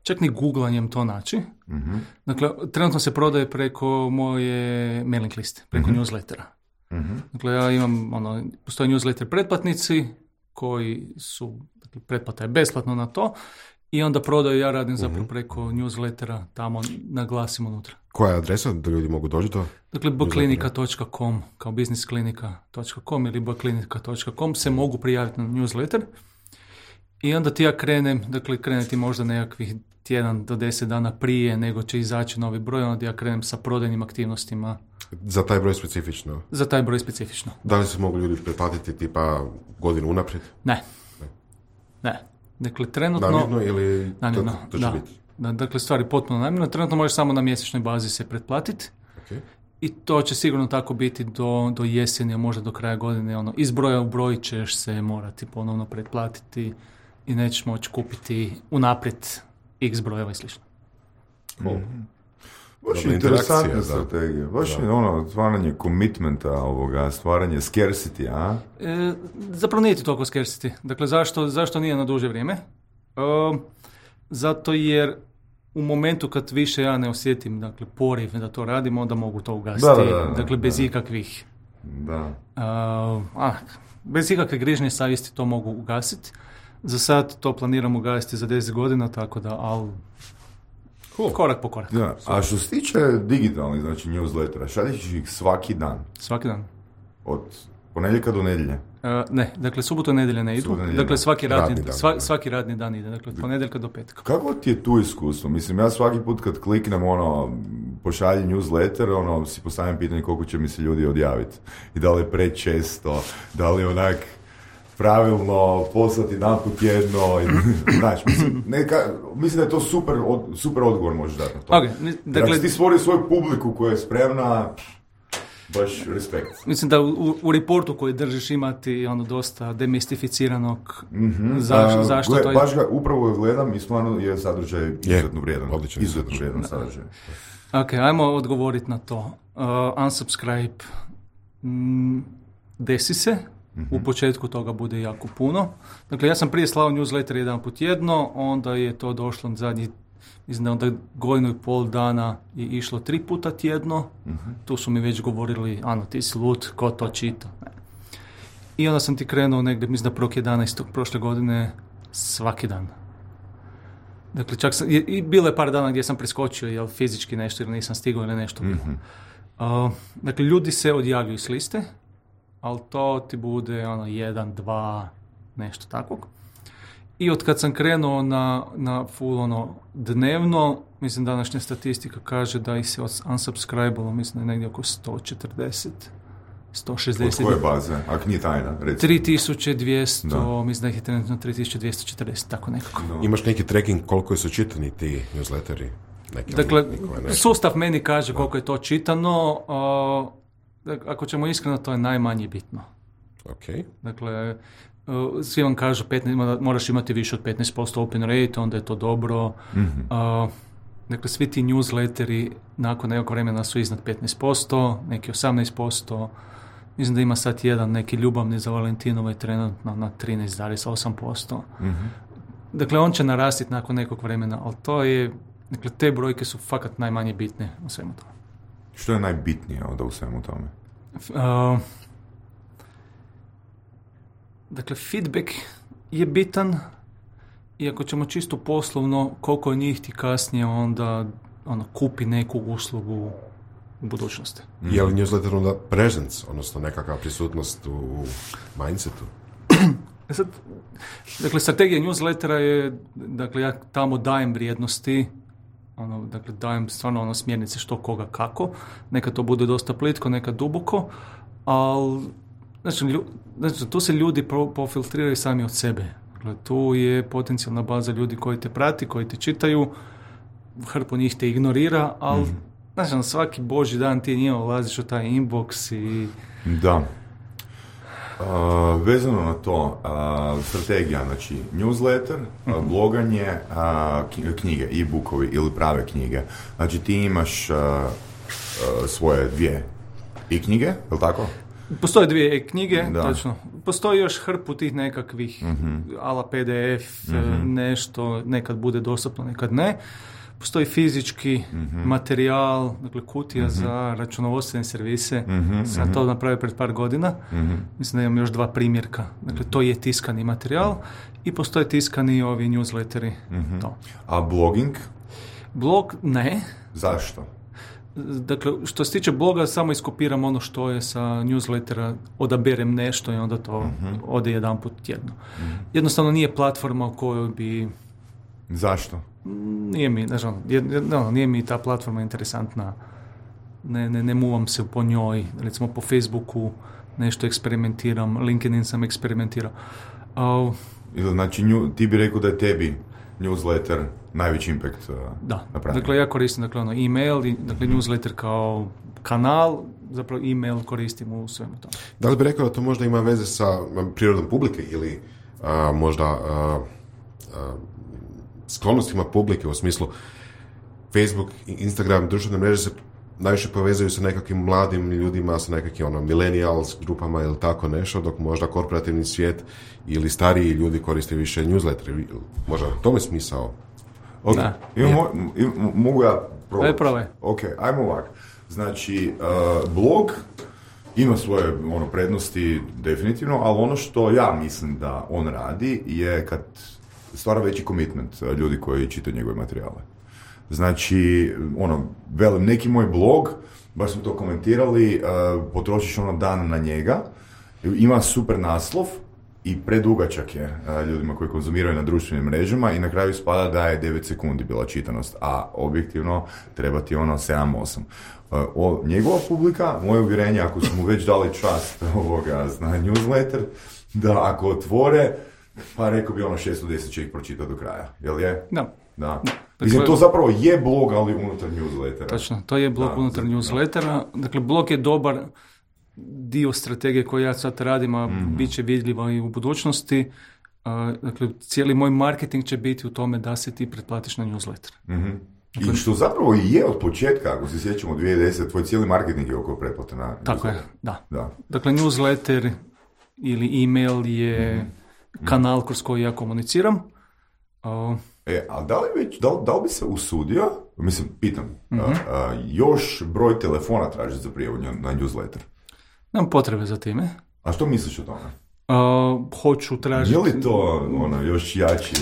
čak ni googlanjem to naći. Mhm. Dakle, trenutno se prodaje preko moje mailing liste, preko Mhm. newslettera. Mhm. Dakle, ja imam, ono, postoje newsletter pretplatnici koji su, dakle, pretplata je besplatno na to i onda prodaju, ja radim zapravo preko newslettera, tamo naglasim unutra. Koja je adresa da ljudi mogu doći do? Dakle, bklinika točka com kao businessklinika točka com ili bklinika točka com se mogu prijaviti na newsletter i onda ti ja krenem, dakle krenuti možda nekakvih tjedan do deset dana prije nego će izaći novi broj, onda ja krenem sa prodajnim aktivnostima Za taj broj specifično. za taj broj specifično. Da li se mogu ljudi pretplatiti tipa godinu unaprijed? Ne. Ne. Dakle, trenutno... Namjerno ili Namjerno, to, to će da. biti? Da, dakle, stvari potpuno namjerno. Trenutno možeš samo na mjesečnoj bazi se pretplatiti. Okay. I to će sigurno tako biti do, do jeseni, a možda do kraja godine. Ono, iz broja u broj ćeš se morati ponovno pretplatiti i nećeš moći kupiti unaprijed x brojeva i slično. Cool. Baš Dobra je interesantna interakcija, da. strategija. Baš Da. je ono, stvaranje commitmenta ovoga, stvaranje scarcity, a? E, zapravo nije ti toliko scarcity. Dakle, zašto, zašto nije na duže vrijeme? E, zato jer u momentu kad više ja ne osjetim, dakle, poriv da to radimo, onda mogu to ugasiti. Da, da, da, da, dakle, bez da. ikakvih Da. a, a, bez ikakve grižnje savjesti to mogu ugasiti. Za sad to planiram ugasiti za deset godina, tako da, ali Cool. korak po korak. Da. A što se tiče digitalnih, znači newslettera, šalješ ih svaki dan, Svaki dan. od ponedjeljka do nedjelje. E, ne, dakle, subotu i nedjelje ne idu. Subotu i nedjelje. Dakle, svaki radni, Radni dan, sva- da. svaki radni dan ide. Dakle, od ponedjeljka do petka. Kako ti je tu iskustvo? Mislim, ja svaki put kad kliknem ono, pošalji newsletter, ono, si postavljam pitanje koliko će mi se ljudi odjaviti. I da li je prečesto, da li je onak pravilno poslati jedan put jedno. I, znači, mislim, neka, mislim da je to super, od, super odgovor možeš dati na to. Ok, ni- Dakle, dakle, si ti stvorio svoju publiku koja je spremna, baš respekt. mislim da u, u reportu koji držiš imati ono dosta demistificiranog Mm-hmm. zaš- zašto to je... Baš ga upravo gledam i stvarno je sadržaj izuzetno vrijedan. odličan Izuzetno sadržaj. vrijedan sadržaj. Ok, ajmo odgovoriti na to. Uh, unsubscribe. Mm, desi se. U početku toga bude jako puno. Dakle, ja sam prije slao newsletter jedan put jedno, onda je to došlo zadnji, mislim da onda godinu i pol dana je išlo tri puta tjedno. Tu su mi već govorili, ano, ti si lud, ko to čita. Ne. I onda sam ti krenuo negdje, mislim da prvog jedanaestog prošle godine, svaki dan. Dakle, čak sam, i, i bilo je par dana gdje sam preskočio, jel fizički nešto ili nisam stigao ili nešto bilo. Uh, dakle, ljudi se odjavljuju s liste, ali to ti bude ono jedan, dva, nešto takvog. I od kad sam krenuo na, na full ono dnevno, mislim današnja statistika kaže da ih se unsubscribe-alo, mislim da je negdje oko sto četrdeset, sto Od šezdeset. koje baze? Ako nije tajna, recimo. tri tisuće dvjesto, Da. mislim da ih je trenutno tri tisuće dvjesto četrdeset, tako nekako. No. Imaš neki tracking koliko su čitani ti newsletteri? Neki, Dakle, nikome ne. sustav meni kaže koliko je to čitano, a, dak- ako ćemo iskreno, to je najmanje bitno. Ok. Dakle, uh, svi vam kažu petnaest, mora- moraš imati više od petnaest posto open rate, onda je to dobro. Mhm. Uh, dakle, svi ti newsletteri nakon nekog vremena su iznad petnaest posto, neki osamnaest posto. Mislim da ima sad jedan neki ljubavni za Valentinove trenutno na trinaest zarez osam posto. Mhm. Dakle, on će narastiti nakon nekog vremena, ali to je, dakle, te brojke su fakat najmanje bitne u svemu tome. Što je najbitnije onda u svemu tome? F- uh, dakle, feedback je bitan i ako ćemo čisto poslovno, koliko njih ti kasnije onda ono, kupi neku uslugu u budućnosti. Mm. Je li newsletter onda presence, odnosno nekakva prisutnost u mindsetu? E sad, dakle, strategija newslettera je, dakle, ja tamo dajem vrijednosti, ono, dakle, dajem stvarno ono smjernice što, koga, kako. Neka to bude dosta plitko, neka duboko, ali znači, lju, znači tu se ljudi pro, profiltriraju sami od sebe. Dakle, tu je potencijalna baza ljudi koji te prati, koji te čitaju, hrpu njih te ignorira, ali mm. znači, svaki božji dan ti njima ulaziš u taj inbox i... Da. Uh, vezano na to, uh, strategija, znači newsletter, uh, bloganje, uh, knjige, e-bookovi ili prave knjige. Znači ti imaš uh, uh, svoje dvije e-knjige, je li tako? Postoje dvije e-knjige, da. Točno. Postoji još hrpu tih nekakvih uh-huh. ala pe de ef, uh-huh. nešto, nekad bude dostupno, nekad ne. Postoji fizički uh-huh. materijal, dakle kutija uh-huh. za računovodstvene servise. Uh-huh. Sam to napravio pred par godina. Uh-huh. Mislim da imam još dva primjerka. Dakle, to je tiskani materijal i postoje tiskani ovi newsletteri. Uh-huh. To. A blogging? Blog ne. Zašto? Dakle, što se tiče bloga, samo iskopiram ono što je sa newslettera, odaberem nešto i onda to uh-huh. ode jedan put tjedno. Uh-huh. Jednostavno nije platforma u kojoj bi... Zašto? Nije mi, znači, no, nije mi ta platforma interesantna. Ne, ne, ne muvam se po njoj. Recimo po Facebooku nešto eksperimentiram, LinkedIn sam eksperimentirao. Uh, znači, nju, ti bi rekao da je tebi newsletter najveći impact uh, da. napravio. Dakle, ja koristim dakle, ono, e-mail, i, dakle, newsletter kao kanal, zapravo e-mail koristim u svemu tome. Da li bi rekao da to možda ima veze sa prirodom publike ili a, možda a, a, sklonostima publike u smislu Facebook i Instagram, društvene mreže se najviše povezuju sa nekakvim mladim ljudima, sa nekakvim ono, millennials grupama ili tako nešto, dok možda korporativni svijet ili stariji ljudi koriste više newsletter. Možda u tome smisao. Ok, imamo, im, mogu ja probati? Aj, probaj. Ok, ajmo ovak. Znači, uh, blog ima svoje ono, prednosti definitivno, ali ono što ja mislim da on radi je kad stvara veći commitment ljudi koji čitaju njegove materijale. Znači, ono, velim, neki moj blog, baš smo to komentirali, uh, potrošiš ono dan na njega, ima super naslov i predugačak je uh, ljudima koji konzumiraju na društvenim mrežama i na kraju spada da je devet sekundi bila čitanost, a objektivno treba ti ono sedam osam. Uh, o, njegova publika, moje uvjerenje, ako su mu već dali čast ovoga na newsletter, da ako otvore, pa rekao bi ono šesto deset će ih pročitati do kraja, jel je? Da. Da. Mislim, to zapravo je blog, ali unutar newslettera. Točno, to je blog da, unutar da, newslettera. Dakle, blog je dobar dio strategije koju ja sad radim, a mm-hmm. bit će vidljiva i u budućnosti. Uh, dakle, cijeli moj marketing će biti u tome da se ti pretplatiš na newsletter. Mm-hmm. Dakle, i što zapravo i je od početka, ako se sjećamo dvije tisuće desete, tvoj cijeli marketing je oko pretplate na tako je, da. da. Dakle, newsletter ili email je mm-hmm. kanal kroz koji ja komuniciram. Uh, E, ali da li, već, da, da li bi se usudio, mislim, pitam, mm-hmm. a, a, još broj telefona tražiti za prijavu na newsletter? Nemam potrebe za time. A što misliš o tome? Uh, hoću tražiti... Je li to ono, još jači?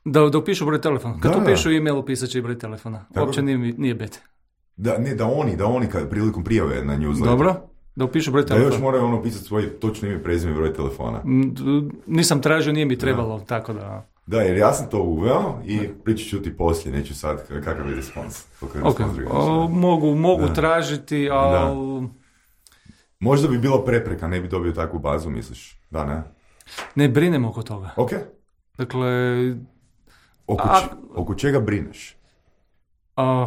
Da, da upišu broj telefona. Kad da, upišu e-mail, upisat će i broj telefona. Tako... Uopće nije, nije bete. Da, ne, da oni, da oni kad prilikom prijave na newsletter. Dobro, da upišu broj telefona. Da još moraju ono pisati svoje točno ime, prezime, broj telefona. Nisam tražio, nije mi trebalo, da. Tako da... Da, jer ja sam to uveo i pričat ću ti poslije, neću sad kakav je respons. Okay. O, mogu mogu da. tražiti, ali... Možda bi bilo prepreka, ne bi dobio takvu bazu, misliš? Da, ne? Ne brinem oko toga. Ok. Dakle... Oko, a, č- oko čega brineš? A,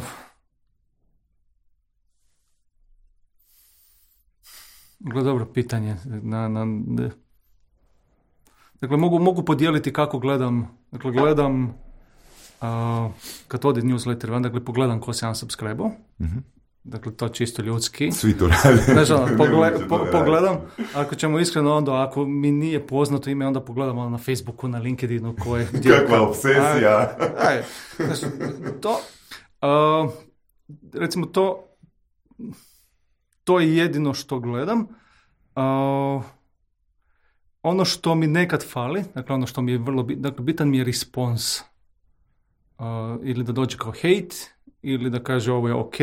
gle, dobro pitanje. Na... na ne. Dakle, mogu, mogu podijeliti kako gledam, dakle, gledam, uh, kad ode newsletter, dakle, pogledam ko se unsubscribe-o, mm-hmm. dakle, to čisto ljudski. Svi to rade. Znači, ono, pogle, po, pogledam, ako ćemo iskreno onda, ako mi nije poznato ime, onda pogledam ono, na Facebooku, na LinkedInu, koje... Kakva obsesija. Aj, znači, to, uh, recimo, to, to je jedino što gledam. Uh, Ono što mi nekad fali, dakle ono što mi je vrlo bitan, dakle bitan mi je respons. Uh, ili da dođe kao hate, ili da kaže ovo je ok,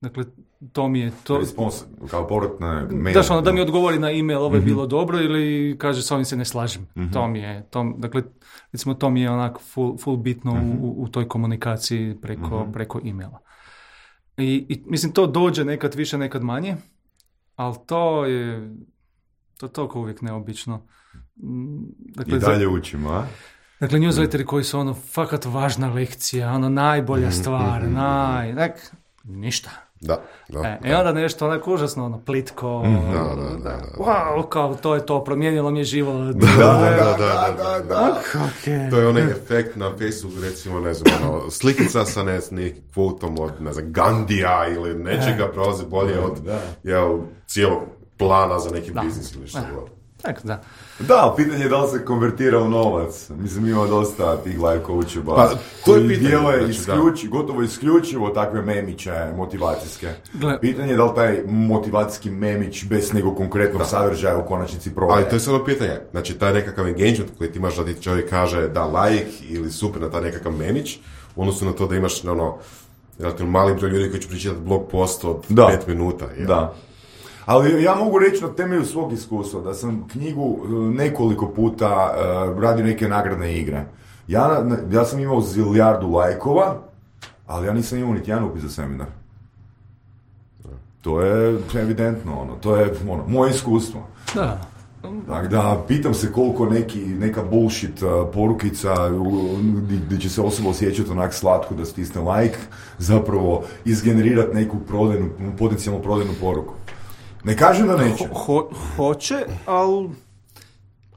Dakle, to mi je to... Respons, kao povratna mail. Daš ono, da mi odgovori na e-mail, ovo je mm-hmm. bilo dobro, ili kaže s ovim se ne slažem. Mm-hmm. To mi je, to, dakle, recimo to mi je onako full, full bitno mm-hmm. u, u toj komunikaciji preko, mm-hmm. preko e-maila. I, I mislim, to dođe nekad više, nekad manje, ali to je, to je toliko uvijek neobično. Dakle, I dalje za, učimo, a? Dakle, newsletteri koji su ono, fakat važna lekcija, ono, najbolja stvar, mm-hmm. naj, dak, ništa. Da, da, e, da. I onda nešto onako užasno, ono, plitko, mm-hmm. da, da, da, da. wow, kao, to je to, promijenilo mi je život. Da, da, da, da, da, da. Okay. To je onaj efekt na Facebooku, recimo, ne znam, ono, slikica sa ne, nekim kvotom od, ne znam, Gandija ili nečega prolazi bolje od, jel, cijelog plana za neki biznis ili što god. Tak, da. Da, pitanje je da li se konvertira u novac. Mislim, ima dosta tih life coacheva pa, to je koji dijele znači, isključi, gotovo isključivo takve memiće motivacijske. Gle. Pitanje je da li taj motivacijski memić bez nekog konkretnog da. sadržaja u konačnici prodaje. Ali to je samo pitanje. Znači, taj nekakav engagement koji ti imaš da ti čovjek kaže da like ili super na taj nekakav memić, u odnosu na to da imaš ono, relativno mali broj ljudi koji će pričitati blog post od da. pet minuta. Jel? Da. Ali ja mogu reći na temelju svog iskustva da sam knjigu nekoliko puta uh, radio neke nagradne igre. Ja, ja sam imao zilijardu lajkova, ali ja nisam imao niti jedan upis za seminar. To je evidentno, ono, to je ono, moje iskustvo. Da. Tako da, pitam se koliko neki, neka bullshit uh, porukica gdje će se osoba osjećati onak slatko da stisne like, zapravo izgenerirati neku prodajnu, potencijalnu prodajnu poruku. Ne kažem da neće. Ho, ho, hoće, ali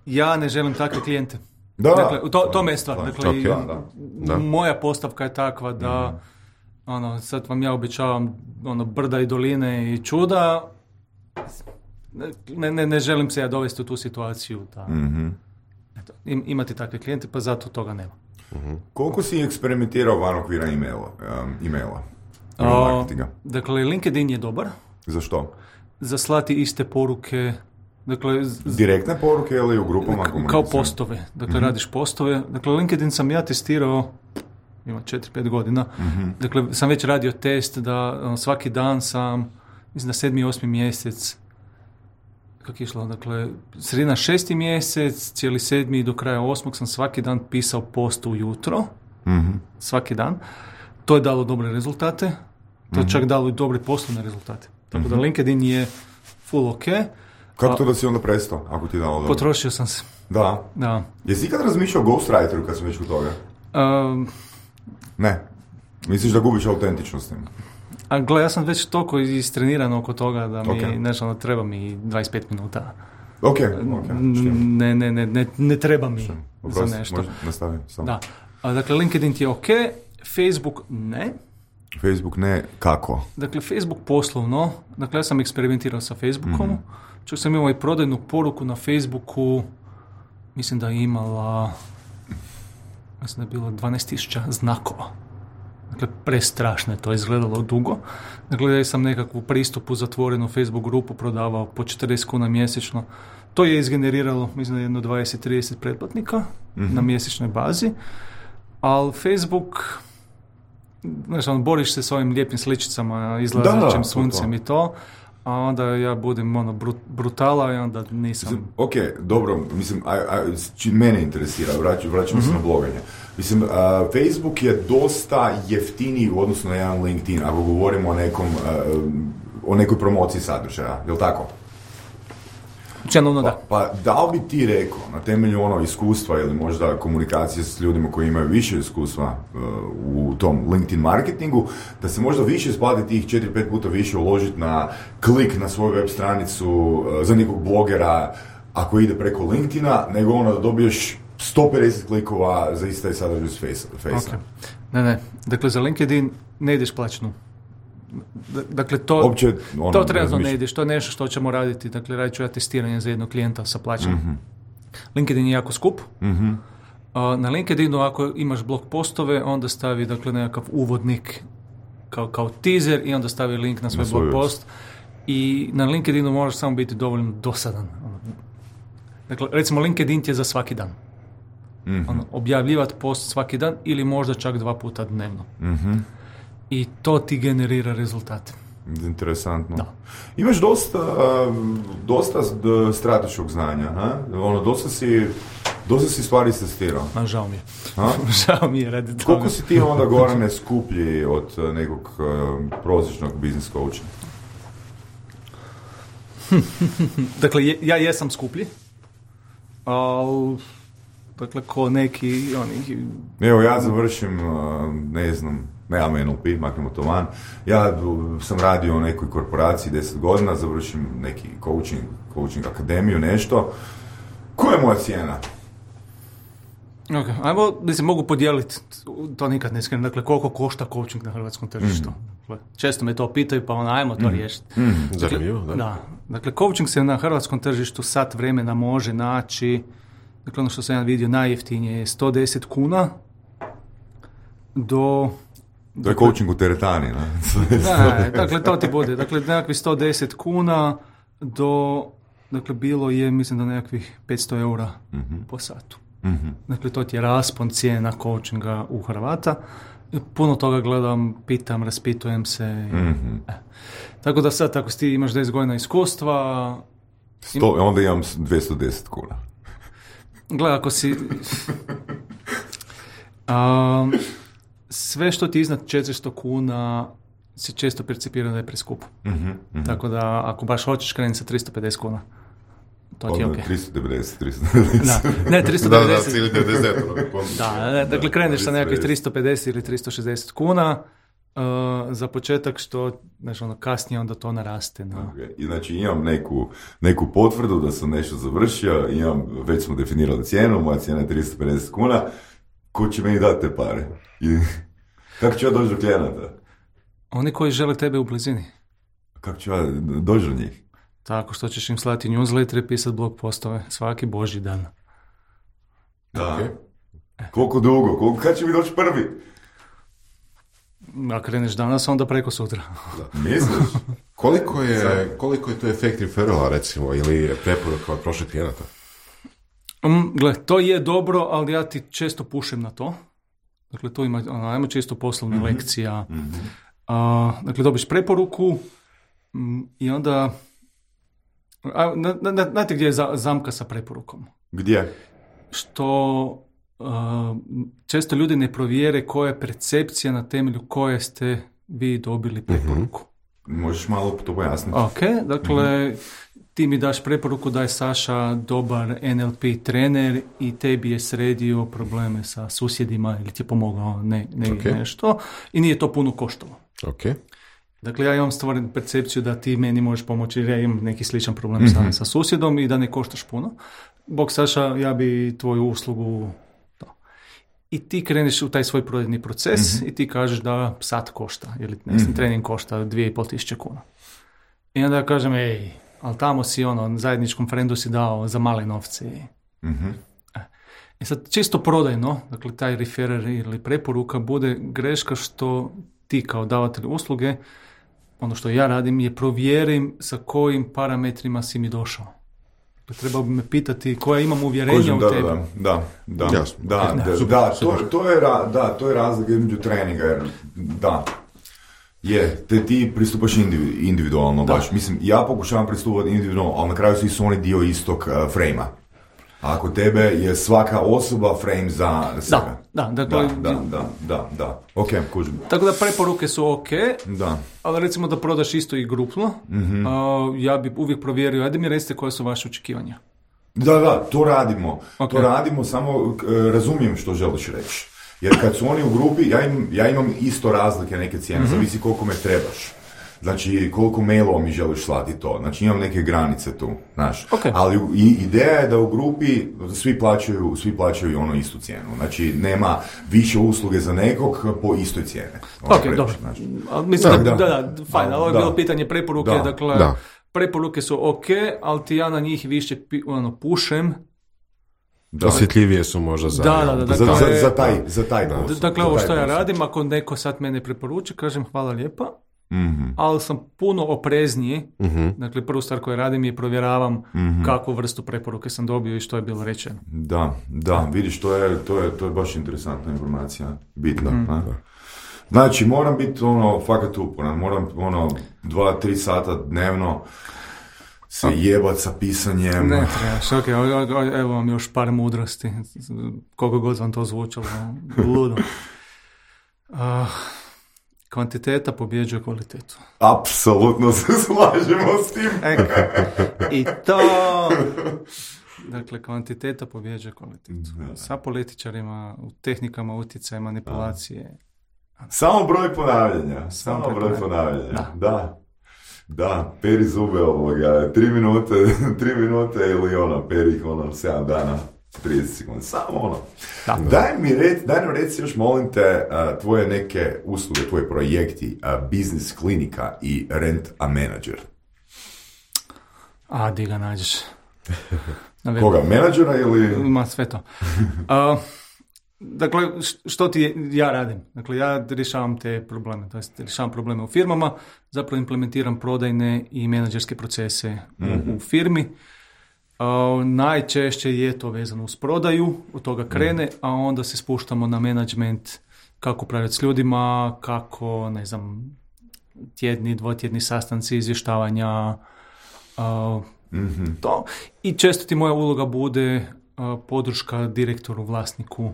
ja ne želim takve klijente. Da, dakle, to, to me je stvar. Dakle, okay, da, da. Moja postavka je takva da mm. ono, sad vam ja obećavam ono, brda i doline i čuda. Ne, ne, ne želim se ja dovesti u tu situaciju. Da, mm-hmm. eto, im, imati takve klijente, pa zato toga nema. Mm-hmm. Koliko si eksperimentirao van okvira e-maila? Um, e-maila? O, dakle, LinkedIn je dobar. Za što? Za slati iste poruke. Dakle, z... direktne poruke ili u grupama? Kao postove. Dakle, mm-hmm. radiš postove. Dakle, LinkedIn sam ja testirao ima četiri pet godina. Mm-hmm. Dakle, sam već radio test da um, svaki dan sam, mislim na sedmi, osmi mjesec, kako je išlo, dakle, sredina šesti mjesec, cijeli sedmi do kraja osmog sam svaki dan pisao post ujutro. Mm-hmm. Svaki dan. To je dalo dobre rezultate. To je mm-hmm. čak dalo i dobre poslovne rezultate. Tako mm-hmm. da LinkedIn je full ok. Kako to da si onda prestao, ako ti je dalo dobro? Potrošio sam se. Da? Da. Jesi ikad razmišljao o ghostwriteru kad sam već kod toga? Um, ne. Misliš da gubiš autentičnost? A gle, ja sam već toliko istreniran oko toga da mi, okay. nešto, ono, treba mi dvadeset pet minuta. Ok, ok. Ne, ne, ne, ne, ne treba mi Oprosti, za nešto. Možda nastavim samo. Da. A, dakle, LinkedIn ti je ok, Facebook ne. Facebook ne, kako? Dakle, Facebook poslovno, dakle, ja sam eksperimentirao sa Facebookom, mm-hmm. čak sam imao i prodajnu poruku na Facebooku, mislim da je imala, mislim da je bilo dvanaest tisuća znakova. Dakle, prestrašno je to izgledalo dugo. Dakle, ja sam nekakvu pristupu zatvorenu Facebook grupu prodavao po četrdeset kuna mjesečno. To je izgeneriralo, mislim da jedno dvadeset trideset pretplatnika mm-hmm. na mjesečnoj bazi, ali Facebook... Znaš, on, boriš se s ovim lijepim sličicama, izlazećim suncem to. I to, a onda ja budem ono, brut, brutala i onda nisam... Mislim, ok, dobro, mislim, a, a, či mene interesira, vraćam, vraćam mm-hmm. se na bloganje. Mislim, uh, Facebook je dosta jeftiniji u odnosu na jedan LinkedIn, ako govorimo o nekom, uh, o nekoj promociji sadržaja, je li tako? Čenovno da. Pa, pa da li bi ti rekao, na temelju ono iskustva ili možda komunikacije s ljudima koji imaju više iskustva uh, u tom LinkedIn marketingu, da se možda više isplati tih četiri pet puta više uložiti na klik na svoju web stranicu uh, za nekog blogera ako ide preko LinkedIna, nego ono da dobiješ sto pedeset klikova za ista i sadržaj s Face-a. Okay. Ne, ne. Dakle, za LinkedIn ne ideš plaćnu. Dakle, to, Opće, ono, to trenutno ne ideš, to je nešto što ćemo raditi. Dakle, radit ću ja testiranje za jednog klijenta sa plaćom. Mm-hmm. LinkedIn je jako skup. Mm-hmm. Uh, na LinkedInu, ako imaš blog postove, onda stavi, dakle, nekakav uvodnik kao, kao teaser i onda stavi link na svoj na blog post. I na LinkedInu moraš samo biti dovoljno dosadan. Dakle, recimo, LinkedIn ti je za svaki dan. Mm-hmm. Ono, objavljivati post svaki dan ili možda čak dva puta dnevno. Mm-hmm. I to ti generira rezultate. Interesantno. Da. Imaš dosta, dosta strateškog znanja, ha? Ono, dosta si, dosta si stvari testirao. A žao mi je. Ha? Žao mi je radi toga. Koliko si ti onda Gorane skuplji od nekog uh, prosječnog biznis coacha? Dakle, je, ja jesam skuplji, ali dakle, ko neki oni... Evo, ja završim, uh, ne znam, nemam N L P, maknemo to van. Ja sam radio u nekoj korporaciji deset godina, završim neki coaching, coaching akademiju, nešto. Koja je moja cijena? Ok, ajmo, da se mogu podijeliti, to nikad ne skrenem, dakle, koliko košta coaching na hrvatskom tržištu. Mm. Često me to pitaju, pa ono, ajmo to mm. riješiti. Mm. Dakle, Zanimljivo, da. Da. Dakle, coaching se na hrvatskom tržištu sat vremena može naći, dakle, ono što sam ja vidio najjeftinije je sto deset kuna do... To je coaching u teretani, ne? Ne, dakle, to ti bude. Dakle, nekakvih sto deset kuna do, dakle, bilo je, mislim da nekakvih petsto eura mm-hmm. po satu. Mm-hmm. Dakle, to ti je raspon cijena coachinga u Hrvata. Puno toga gledam, pitam, raspitujem se. Mm-hmm. E. Tako da sad, ako ti imaš deset godina iskustva... Sto, im... Onda imam dvjesto deset kuna. Gledaj, ako si... um, sve što ti iznad četiristo kuna se često percipira da je preskupo. Mm-hmm, mm-hmm. Tako da, ako baš hoćeš krenuti sa tristo pedeset kuna, to ti je okej. Okay. tristo devedeset, tristo devedeset. Da, ne, tristo devedeset. Da, da, cijeli devedeset. Da, ne, dakle, kreneš sa nekakvih tristo pedeset ili tristo šezdeset kuna, uh, za početak što, znači, ono, kasnije onda to naraste. No. Okay. I znači, imam neku, neku potvrdu da sam nešto završio, imam, već smo definirali cijenu, moja cijena je tristo pedeset kuna, ko će meni dati te pare? I kako ću ja doći do klijenata? Oni koji žele tebe u blizini. Kako ću ja doći do njih? Tako što ćeš im slati newsletter i pisati blog postove svaki božji dan. Da. Okay. Koliko dugo? Koliko, kad će mi doći prvi? Ako kreneš danas, onda preko sutra. Da. Misliš? koliko, je, koliko je to efekt referrala, recimo, ili preporuka od prošlih klijenata? Um, gle, to je dobro, ali ja ti često pušem na to. Dakle, to ima, ono, ajmo čisto poslovna mm-hmm. lekcija. Mm-hmm. Uh, dakle, dobiš preporuku um, i onda... A, na, na, znate gdje je za, zamka sa preporukom? Gdje? Što uh, često ljudi ne provjere koja je percepcija na temelju koje ste vi dobili preporuku. Mm-hmm. Možeš malo to pojasniti? Ok, dakle... Mm-hmm. Ti mi daš preporuku da je Saša dobar N L P trener i tebi je sredio probleme sa susjedima ili ti je pomogao ne, ne okay. nešto i nije to puno koštalo. Okay. Dakle, ja imam stvorenu percepciju da ti meni možeš pomoći jer ja imam neki sličan problem mm-hmm. sa, sa susjedom i da ne koštaš puno. Bog Saša, ja bi tvoju uslugu... To. I ti kreneš u taj svoj prodajni proces mm-hmm. i ti kažeš da sat košta ili ne znam, mm-hmm. trening košta dvije i pol tisuće kuna. I onda ja kažem, ej, ali tamo si ono, zajedničkom frendu si dao za male novce. Mm-hmm. I sad čisto prodajno, dakle taj referer ili preporuka bude greška što ti kao davatelj usluge, ono što ja radim je provjerim sa kojim parametrima si mi došao. Dakle, treba bi me pitati koja imam uvjerenja Kožem, u da, tebi. Da, da, da, Jasno. da, Okay. da, Super, da, super. to, to, je, da, to je razlika između treninga, jer da. Je, te ti pristupaš individualno, da. Baš. Mislim, ja pokušavam pristupati individualno, ali na kraju svi su oni dio istog uh, frame-a. A ako tebe je svaka osoba frame za sebe. Da, da, dakle, da, da, da, da, da. Ok, kužim. Tako da preporuke su ok, da. Ali recimo da prodaš isto i grupno, mm-hmm. uh, ja bi uvijek provjerio, ajde mi recite koje su vaše očekivanja. Da, da, to radimo. Okay. To radimo, samo uh, razumijem što želiš reći. Jer kad su oni u grupi, ja, im, ja imam isto razlike neke cijene, mm-hmm. zavisi koliko me trebaš. Znači, koliko mailova mi želiš slati to. Znači, imam neke granice tu, znaš. Okay. Ali i, ideja je da u grupi svi plaćaju, svi plaćaju ono istu cijenu. Znači, nema više usluge za nekog po istoj cijeni. Ono ok, dobro. Mislim da, da, da, da fajn, ali ovo je bilo pitanje preporuke, da. Dakle, da. Preporuke su ok, ali ti ja na njih više ono, pušem. Da. Osjetljivije su možda za... Da, da, da, dakle, za, za, za taj, za taj da. posao. Dakle, ovo što ja posao. radim, ako neko sad mene preporuči, kažem hvala lijepa, mm-hmm. ali sam puno oprezniji. Mm-hmm. Dakle, prvu stvar koju radim je provjeravam mm-hmm. kakvu vrstu preporuke sam dobio i što je bilo rečeno. Da, da, vidiš, to je, to je, to je baš interesantna informacija, bitna. Mm-hmm. Znači, moram biti ono, fakat uporan, moram ono, dva, tri sata dnevno se jebat sa pisanjem. Ne trebaš, ok, evo vam još par mudrosti, koliko god vam to zvučalo, ludo. Uh, kvantiteta pobjeđuje kvalitetu. Apsolutno se slažemo s tim. Eka. I to... Dakle, kvantiteta pobjeđuje kvalitetu. Da. Sa političarima, u tehnikama utjecaja, manipulacije. Samo broj ponavljanja. Samo, Samo broj ponavljanja. ponavljanja. Da. Da. Da, peri zube ovoga, tri minute, tri minute ili ono, peri ih ono, sedam dana, trideset sekundi, samo ono. Da. Daj mi reci, daj nam reci još molim te uh, tvoje neke usluge, tvoji projekti, uh, biznis klinika i rent a menadžer. A, di ga nađeš? Koga, menadžera ili? Ma, sve to. Uh, dakle, što ti ja radim? Dakle, ja rješavam te probleme, to jest rješavam probleme u firmama, zapravo implementiram prodajne i menadžerske procese mm-hmm. u, u firmi. Uh, najčešće je to vezano uz prodaju, od toga krene, mm. a onda se spuštamo na menadžment, kako upravljati s ljudima, kako, ne znam, tjedni, dvotjedni sastanci, izvještavanja, uh, mm-hmm. to. I često ti moja uloga bude uh, podrška direktoru, vlasniku.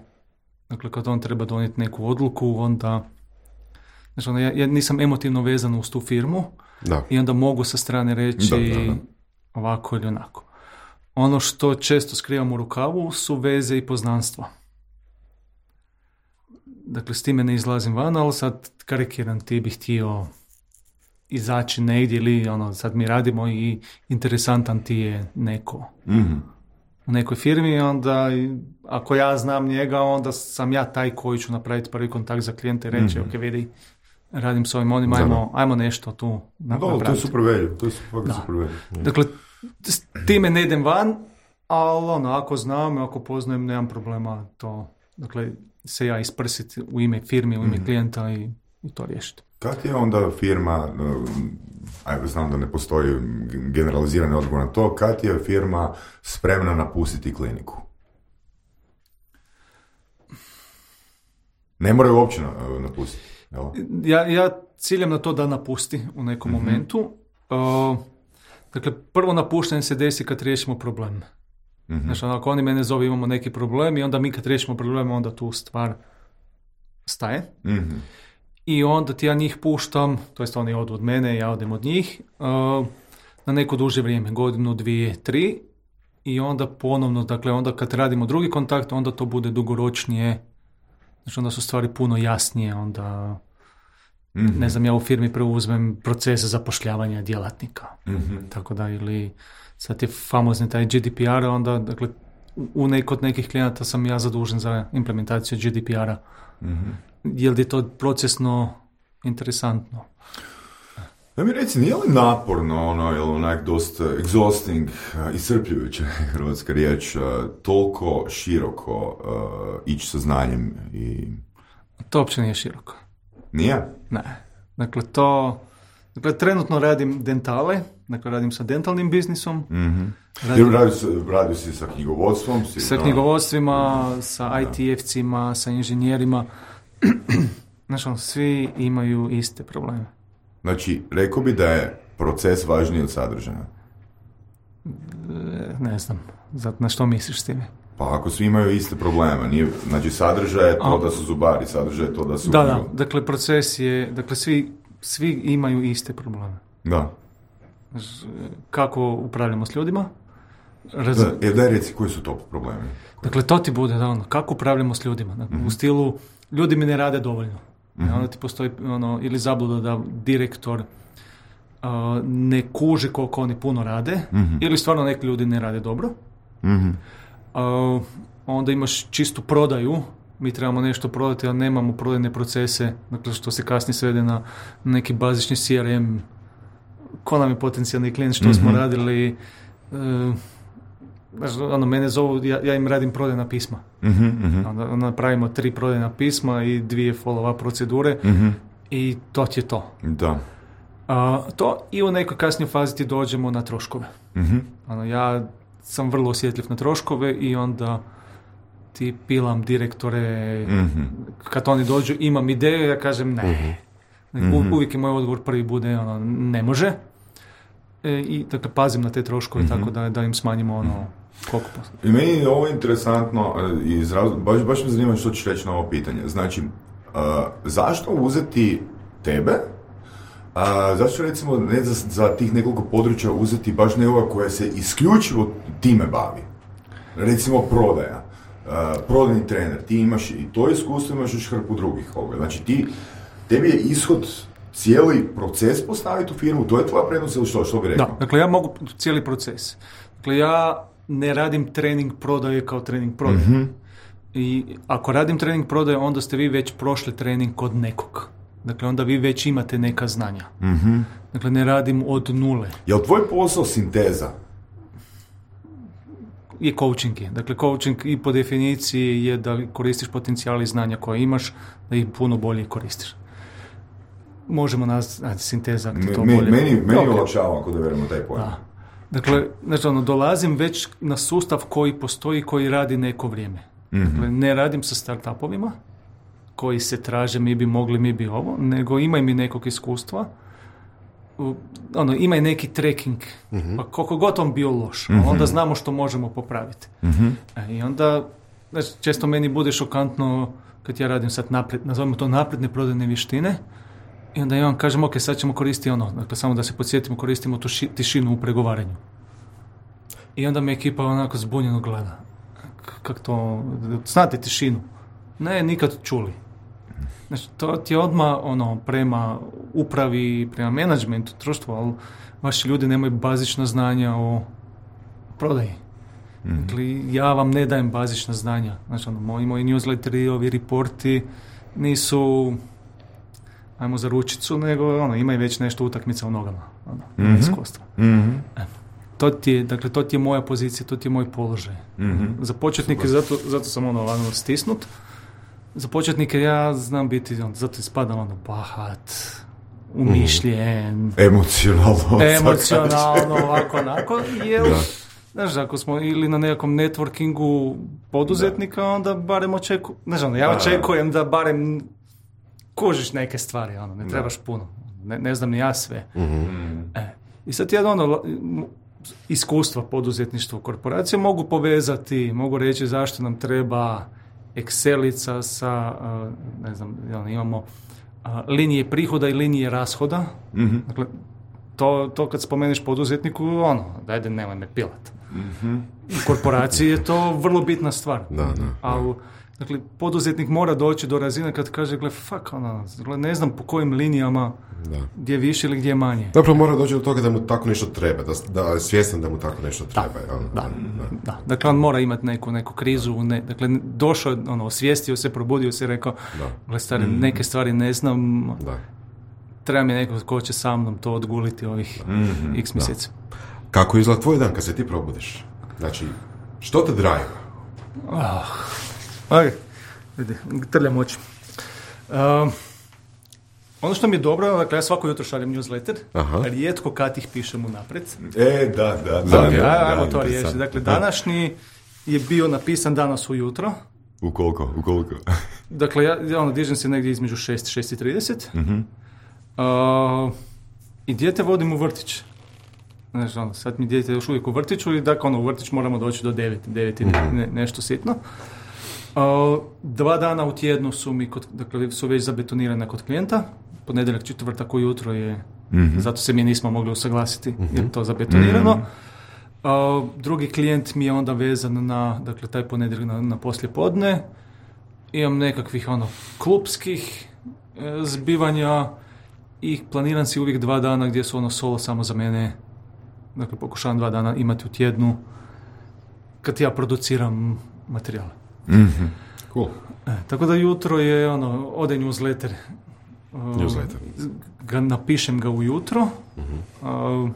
Dakle, kad on treba donijeti neku odluku, onda... Znači, onda ja, ja nisam emotivno vezan uz tu firmu Da. i onda mogu sa strane reći Da, da, da. ovako ili onako. Ono što često skrivam u rukavu su veze i poznanstva. Dakle, s time ne izlazim van, ali sad karikiram, ti bih htio izaći negdje ili ono, sad mi radimo i interesantan ti je neko Mhm. u nekoj firmi, onda ako ja znam njega, onda sam ja taj koji ću napraviti prvi kontakt za klijente i reći, Mhm. ok, vidi, radim s ovim onim, Da, ajmo, ajmo nešto tu Da, to je napraviti. super value, to je super, Da. super value. Dakle, s time ne idem van, ali ono, ako znam, ako poznajem, nemam problema to, dakle, se ja isprsiti u ime firme, u ime Mhm. klijenta i, i to riješiti. Kad je onda firma, ajde znam da ne postoji generalizirani odgovor na to, kad je firma spremna napustiti kliniku? Ne moraju uopće na- napustiti. Jel? Ja, ja ciljam na to da napusti u nekom Mhm. momentu. Uh, dakle, prvo napuštanje se desi kad riješimo problem. Mhm. Znači, ako oni mene zove, imamo neki problem i onda mi kad riješimo problem, onda tu stvar staje. Mhm. I onda ti ja njih puštam, to jest oni odu od mene, ja odem od njih, uh, na neko duže vrijeme, godinu, dvije, tri, i onda ponovno, dakle, onda kad radimo drugi kontakt, onda to bude dugoročnije, znači onda su stvari puno jasnije, onda, Mhm. ne znam, ja u firmi preuzmem proces zapošljavanja djelatnika, Mhm. tako da, ili sad je famozni taj G D P R, onda, dakle, u nek- kod nekih klijenata sam ja zadužen za implementaciju G D P R-a, Mhm. jer je to procesno interesantno. Da mi reci, nije li naporno, ono, ili onak dosta exhausting, uh, iscrpljujuća hrvatska riječ, uh, toliko široko uh, ići sa znanjem i... To uopće nije široko. Nije? Ne. Dakle, to... Dakle, trenutno radim dentale, dakle, radim sa dentalnim biznisom, Mhm. radim Jer radio, si- radio si sa knjigovodstvom? Si, sa da. knjigovodstvima, sa I T F-cima, sa inženjerima. Znači, ono, svi imaju iste probleme. Znači, rekao bi da je proces važniji od sadržaja. E, ne znam, zato na što misliš s time? Pa ako svi imaju iste probleme, nije, znači sadržaj je to A. da su zubari, sadržaj je to da su... Da, da, dakle, proces je, dakle, svi, svi imaju iste probleme. Da. Znači, kako upravljamo s ljudima? Raz... Da, e, daj reci koji su to problemi. Dakle, to ti bude, da, ono, kako upravljamo s ljudima. Dakle, Mhm. u stilu, ljudi mi ne rade dovoljno. Mhm. Onda ti postoji ono, ili zabluda da direktor uh, ne kuži koliko oni puno rade, Mhm. ili stvarno neki ljudi ne rade dobro. Mhm. Uh, onda imaš čistu prodaju, mi trebamo nešto prodati, ali nemamo prodajne procese, dakle, što se kasnije svede na neki bazični C R M, ko nam je potencijalni klijent, što smo Mhm. radili. Uh, Znaš, ono, mene zovu, ja, ja im radim prodajna pisma. Mhm, mhm. Onda, onda napravimo tri prodajna pisma i dvije follow-up procedure Mhm. i to ti je to. Da. A, to i u nekoj kasnijoj fazi ti dođemo na troškove. Mhm. Ono, ja sam vrlo osjetljiv na troškove i onda ti pilam direktore, Mhm. kad oni dođu, imam ideju, ja kažem ne. U, uvijek je moj odgovor prvi bude, ono, ne može. E, I dakle, pazim na te troškove, tako da, da im smanjimo ono, koliko posto. I meni je ovo interesantno, e, iz razloga, baš, baš me zanima što ćeš reći na ovo pitanje. Znači, uh, zašto uzeti tebe, uh, zašto recimo ne za, za tih nekoliko područja uzeti baš nekoga koja se isključivo time bavi? Recimo prodaja, uh, prodajni trener, ti imaš i to iskustvo, imaš još hrpu drugih ovoga. Znači ti, tebi je ishod cijeli proces postaviti u firmu, to je tvoja prednost ili što, što bi rekao? Da, dakle ja mogu cijeli proces. Dakle ja ne radim trening prodaje kao trening prodaje. Mm-hmm. I ako radim trening prodaje, onda ste vi već prošli trening kod nekog. Dakle, onda vi već imate neka znanja. Mm-hmm. Dakle, ne radim od nule. Je li tvoj posao sinteza? Je coaching je. Dakle, coaching i po definiciji je da koristiš potencijal i znanja koje imaš, da ih puno bolje koristiš. Možemo nazvati sinteza, ako to Me, bolje. meni meni Okay. olakšava ako da verimo taj pojam. Da. Dakle, znači, ono, dolazim već na sustav koji postoji, koji radi neko vrijeme. Mm-hmm. Dakle, ne radim sa startupovima koji se traže, mi bi mogli, mi bi ovo, nego imaj mi nekog iskustva, u, ono, imaj neki tracking, Mhm. pa koliko god on bio loš, Mhm. onda znamo što možemo popraviti. Mhm. E, I onda, znači, često meni bude šokantno kad ja radim sad napred, nazovimo to napredne prodajne vještine, i onda ja vam kažem, ok, sad ćemo koristiti ono, dakle, samo da se podsjetimo, koristimo tu ši, tišinu u pregovaranju. I onda me ekipa onako zbunjeno gleda. K- Kako to, znate tišinu? Ne, nikad čuli. Znači, to ti je odmah ono, prema upravi, prema menadžmentu, društvu, ali vaši ljudi nemaju bazična znanja o prodaji. Mhm. Dakle, ja vam ne dajem bazična znanja. Znači, ono, moji, moji newsletteri, ovi reporti nisu ajmo za ručicu, nego ono, imaju već nešto utakmica u nogama. Ono, Mhm. iskustva. Mhm. To ti je, dakle, to ti je moja pozicija, to ti je moj položaj. Mhm. Za početnike, zato, zato sam ono, ono stisnut. Za početnike ja znam biti, on, zato ispadam ono, bahat, umišljen, Emocionalno. emocionalno, ovako, onako, jer, Da. znaš, ako smo ili na nekakvom networkingu poduzetnika, onda barem očekujem, znaš, ono, ja Da. očekujem da barem kužiš neke stvari, ono, ne trebaš puno, ne, ne znam ni ja sve. E, I sad ja ono, m- iskustva poduzetništva u korporaciji mogu povezati, mogu reći zašto nam treba Excelica sa, a, ne znam, ono, imamo a, linije prihoda i linije rashoda. Mhm. Dakle, to, to kad spomeneš poduzetniku, ono, dajde, nemoj me pilat. U korporaciji je to vrlo bitna stvar. Da, da, da. Ali, dakle, poduzetnik mora doći do razine kad kaže, gle, fuck, ono, gle, ne znam po kojim linijama, Da. gdje više ili gdje manje. Zapravo mora doći do toga da mu tako nešto treba, da, da je svjestan da mu tako nešto treba. jel? Da, da. Dakle, on mora imati neku, neku krizu, ne, dakle, došao, je, ono, osvijestio se, probudio se, rekao, Da. gle, stari, neke stvari ne znam, Da. treba mi neko ko će sa mnom to odguliti ovih Mhm. x mjeseci. Kako izgleda tvoj dan kad se ti probudiš? Znači, što te drive? Ah, ok, vidi, trljam oči. Um, ono što mi je dobro, dakle, ja svako jutro šaljem newsletter, Aha. rijetko kad ih pišem unaprijed. E, da, da, da. Da, Ok, da, ajmo da, to da. riješiti. Dakle, današnji je bio napisan danas ujutro. U koliko, u koliko? Dakle, ja, ja ono, dižem se negdje između šest i šest i trideset. Mhm. Uh, I dijete vodim u vrtić. Znaš, ono, sad mi dijete još uvijek u vrtiću i dakle, ono, u vrtić moramo doći do devet, devet i ne, nešto sitno. Uh, dva dana u tjednu su mi, kod, dakle, su već zabetonirane kod klijenta. Ponedjeljak, četvrtak ujutro je, Mhm. zato se mi nismo mogli usaglasiti, jer je to zabetonirano. Uh, drugi klijent mi je onda vezan na, dakle, taj ponedjeljak na, na poslijepodne. Imam nekakvih, ono, klupskih e, zbivanja i planiram si uvijek dva dana gdje su ono solo samo za mene. Dakle, pokušavam dva dana imati u tjednu kad ja produciram materijale. Mhm. Cool. E, tako da jutro je, ono, ode newsletter. Uh, Newsletter. Ga, napišem ga ujutro. Uh,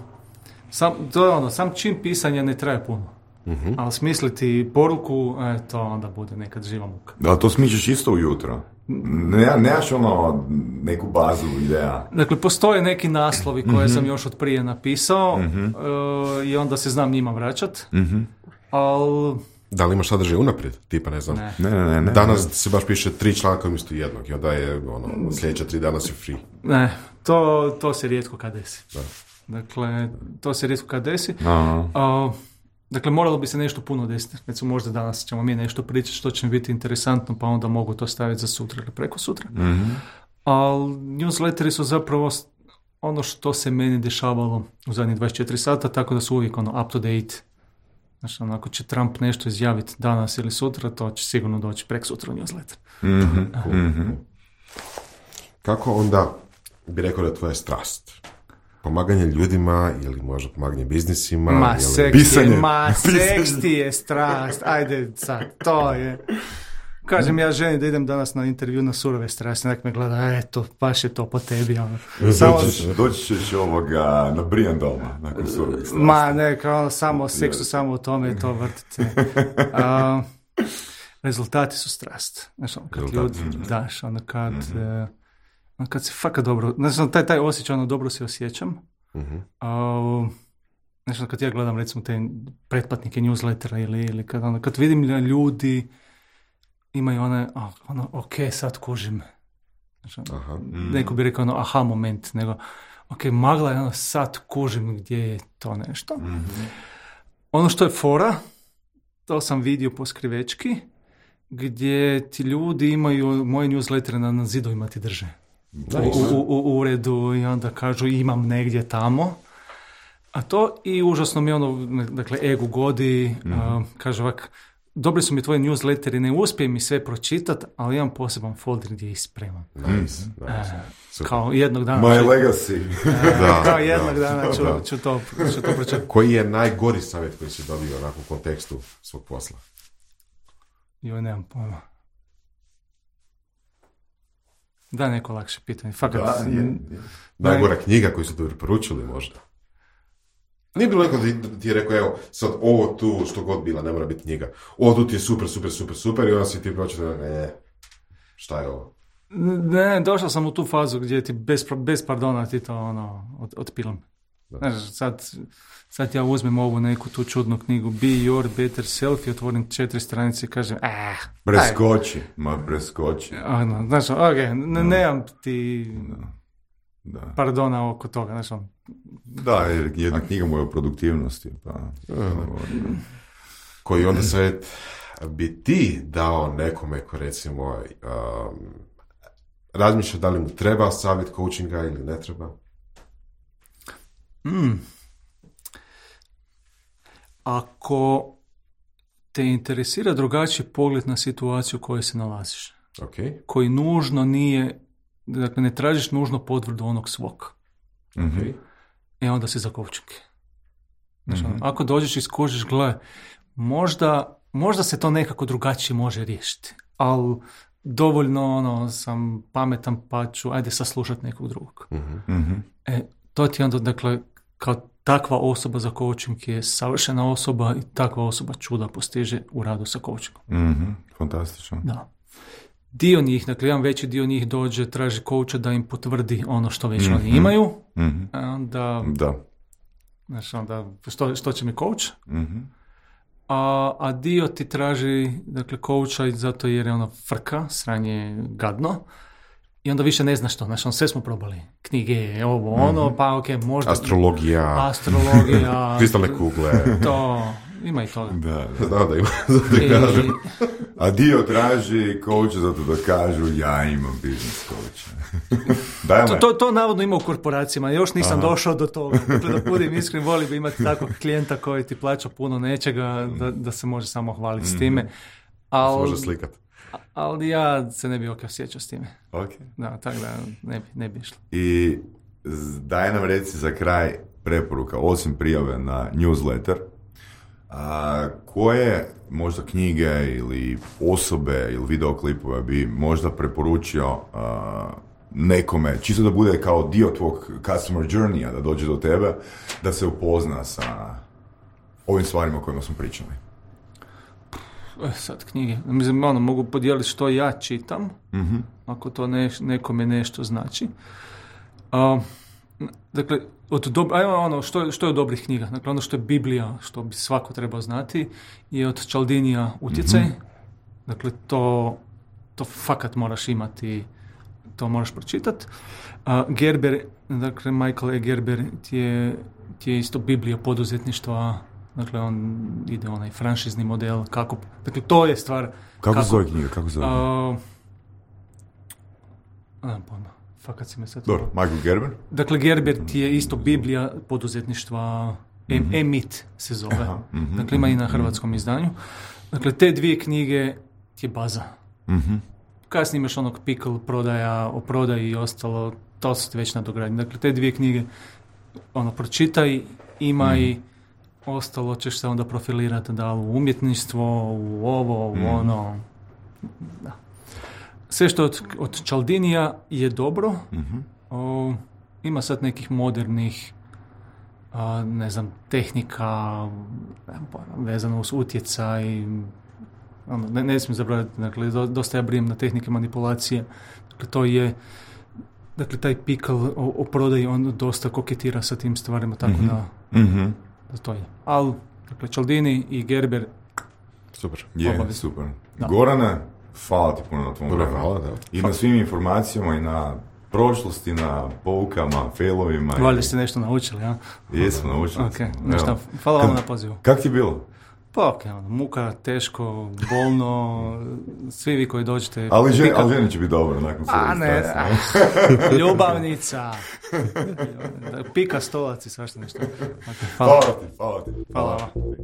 sam, to je ono, sam čin pisanja ne traje puno. Mhm. Ali smisliti poruku, e, to onda bude nekad živa muka. Da, to smičeš isto ujutro. Ne, nemaš ono neku bazu ideja. Dakle, postoje neki naslovi koje sam još od prije napisao e, i onda se znam njima vraćat. Mhm. Ali Da li imaš sadržaj unaprijed? Tipa, ne znam. Ne. Ne, ne, ne, ne. Danas se baš piše tri članka umjesto jednog i onda je ono, sljedeća tri dana si free. Ne, to, to se rijetko kad desi. Da. Dakle, to se rijetko kad desi. Aha. A, dakle, moralo bi se nešto puno desiti. Recimo, možda danas ćemo mi nešto pričati što će mi biti interesantno, pa onda mogu to staviti za sutra ili preko sutra. Mhm. Ali newsletteri su zapravo ono što se meni dešavalo u zadnjih dvadeset četiri sata, tako da su uvijek ono up to date. Znači, ono, ako će Trump nešto izjaviti danas ili sutra, to će sigurno doći prek sutra u newsletter. Mhm. Cool. Mhm. Kako onda bi rekao da je tvoja strast? Pomaganje ljudima ili možda pomaganje biznisima? Ma, ili... seks Pisanje. je, ma, seks ti je strast. Ajde sad, to je. Kažem ja ženi da idem danas na intervju na surove strasti, nek me gleda, eto, baš je to po tebi. Ono. Samo, Doći ćeš- Doći ćeš ovoga na Brian doma, nakon surovih strasti. ma, ne, kao ono, samo o seksu, samo o tome to vrtite. A, rezultati su strast. Znaš, ono, kad Rezultati ljudi, su strast. daš, ono, kad, e, ono, kad se fakat dobro, znači, ono, taj, taj osjećaj, ono, dobro se osjećam. Mhm. A, znači, ono, kad ja gledam, recimo, te pretplatnike newslettera ili, ili kad, ono, kad vidim da ljudi imaju one, a, ono, ok, sad kužim. Znači, ono, Aha. neko bi rekao, ono, aha moment, nego, ok, magla je ono, sad kužim gdje je to nešto. Ono što je fora, to sam vidio po skrivečki, gdje ti ljudi imaju moje newslettere na, na zidovima ti drže. U, u, u uredu i onda kažu imam negdje tamo. A to i užasno mi ono, dakle, ego godi, a, kaže ovak, dobri su mi tvoji newsletteri, ne uspijem mi sve pročitati, ali imam poseban folder gdje ih spremam. Nice, nice. E, Super. kao jednog dana My ću, legacy. Da, kao jednog da. dana ću, Da. ću to, ću to pročitati. Koji je najgori savjet koji si dobio onako u kontekstu svog posla? Joj, nemam pojma. Da, neko lakše pitanje. Fakat, Da, je, je. Najgora knjiga koju su ti preporučili možda? Nije bilo neko da ti- da ti je rekao, evo, sad ovo tu, što god bila, ne mora biti knjiga. Ovo tu ti je super, super, super, super, i onda si ti pročitao, ne, šta je ovo? ne, došao sam u tu fazu gdje ti bez, bez pardona ti to ono, od, otpilam. Da. Znaš, sad, sad ja uzmem ovu neku tu čudnu knjigu Be Your Better Self i otvorim četiri stranice i kažem, ah, Preskoči, ma preskoči. ono, znaš, ok, ne, nemam ti Da. pardona oko toga, znaš, on, Da, jer jedna knjiga mu je o produktivnosti. Pa, Koji onda savjet bi ti dao nekome ko recimo um, razmišlja da li mu treba savjet coachinga ili ne treba? Mm. Ako te interesira drugačiji pogled na situaciju u kojoj se nalaziš, Ok. koji nužno nije, dakle ne tražiš nužno potvrdu onog svog, Mhm. e onda si za coaching. Znači, ono, ako dođeš i skužiš, gle, možda, možda se to nekako drugačije može riješiti, ali dovoljno ono, sam pametan pa ću, ajde saslušati nekog drugog. Mhm. E, to ti onda, dakle, kao takva osoba za coaching je savršena osoba i takva osoba čuda postiže u radu sa coachingom. Mhm. Fantastično. Da. Dio njih, dakle, jedan veći dio njih dođe, traži coacha da im potvrdi ono što već oni imaju, Mhm. a onda, Da. znači, onda što, što će mi coach? Mhm. A, a dio ti traži, dakle, coacha i zato jer je ono frka, sranje je gadno, i onda više ne znaš što, znači, on sve smo probali, knjige, ovo, ono, pa ok, možda... Astrologija, Astrologija, kristalne kugle. to, ima i toga. Da, da. Znam da ima, zato ti I, kažem. A dio traži coacha zato da kažu ja imam biznis coacha. Daj to, me. to, to navodno ima u korporacijama, još nisam došao do toga. Dakle, da budem iskren, voli bi imati takvog klijenta koji ti plaća puno nečega, da, da se može samo hvaliti s time. Se Al, može slikat. ali ja se ne bi ok osjećao s time. Ok. Da, tako da ne bi, ne bi išlo. I z- daj nam reci za kraj preporuka, osim prijave na newsletter, a, koje možda knjige ili osobe ili videoklipove bi možda preporučio a, nekome, čisto da bude kao dio tvog customer journeya, da dođe do tebe, da se upozna sa ovim stvarima o kojima smo pričali. E, sad knjige. Mislim, ono, mogu podijeliti što ja čitam, ako to ne, nekome nešto znači. A, Dakle, od dob- ajmo ono, što, je, što je od dobrih knjiga? Dakle, ono što je Biblija, što bi svako trebao znati, je od Čaldinija Utjecaj. Mm-hmm. Dakle, to, to fakat moraš imati, to moraš pročitati. Uh, Gerber, dakle, Michael E. Gerber ti je, ti je isto Biblija poduzetništva. Dakle, on ide onaj franšizni model, kako, dakle, to je stvar... Kako, kako zove knjiga, kako zove? Uh, a, pojma, fakat si me sad... Dobro, Michael Gerber? Dakle, Gerber ti je isto Biblija poduzetništva, mm-hmm. Emit se zove. Aha, mm-hmm, dakle, ima i na hrvatskom izdanju. Dakle, te dvije knjige ti je baza. Mm-hmm. Kasnije imaš onog Pickle prodaja, o prodaji i ostalo, to su ti već nadogradnje. Dakle, te dvije knjige, ono, pročitaj, ima i mm-hmm. ostalo ćeš se onda profilirati da li u umjetništvo, u ovo, u mm. ono. Da. Sve što od, od Čaldinija je dobro. Mm-hmm. O, ima sad nekih modernih a, ne znam, tehnika vezano uz utjecaj. Ono, ne, ne smijem zaboraviti, dakle, do, dosta ja brijem na tehnike manipulacije. Dakle, to je, dakle, taj Pickle o, o prodaji, on dosta koketira sa tim stvarima, tako mm-hmm. da... Mm-hmm. da to je. Ali, dakle, Čaldini i Gerber... Super. Je, Obavi. super. Da. Gorane, hvala ti puno na tvom Dobro, vremenu. hvala, da. I na svim informacijama i na prošlosti, na poukama, failovima. Valjda i... ste nešto naučili, ja? Jesmo, naučili. Ok, nešto, hvala vam na pozivu. Kak ti je bilo? Pa ok, ono, muka, teško, bolno, svi vi koji dođete... Ali, žen, ali ženi će biti dobro, nakon sve. A ne, ljubavnica, pika stolac i svašta nešto. Okay, hvala. Hvala ti, hvala ti. Hvala. Hvala.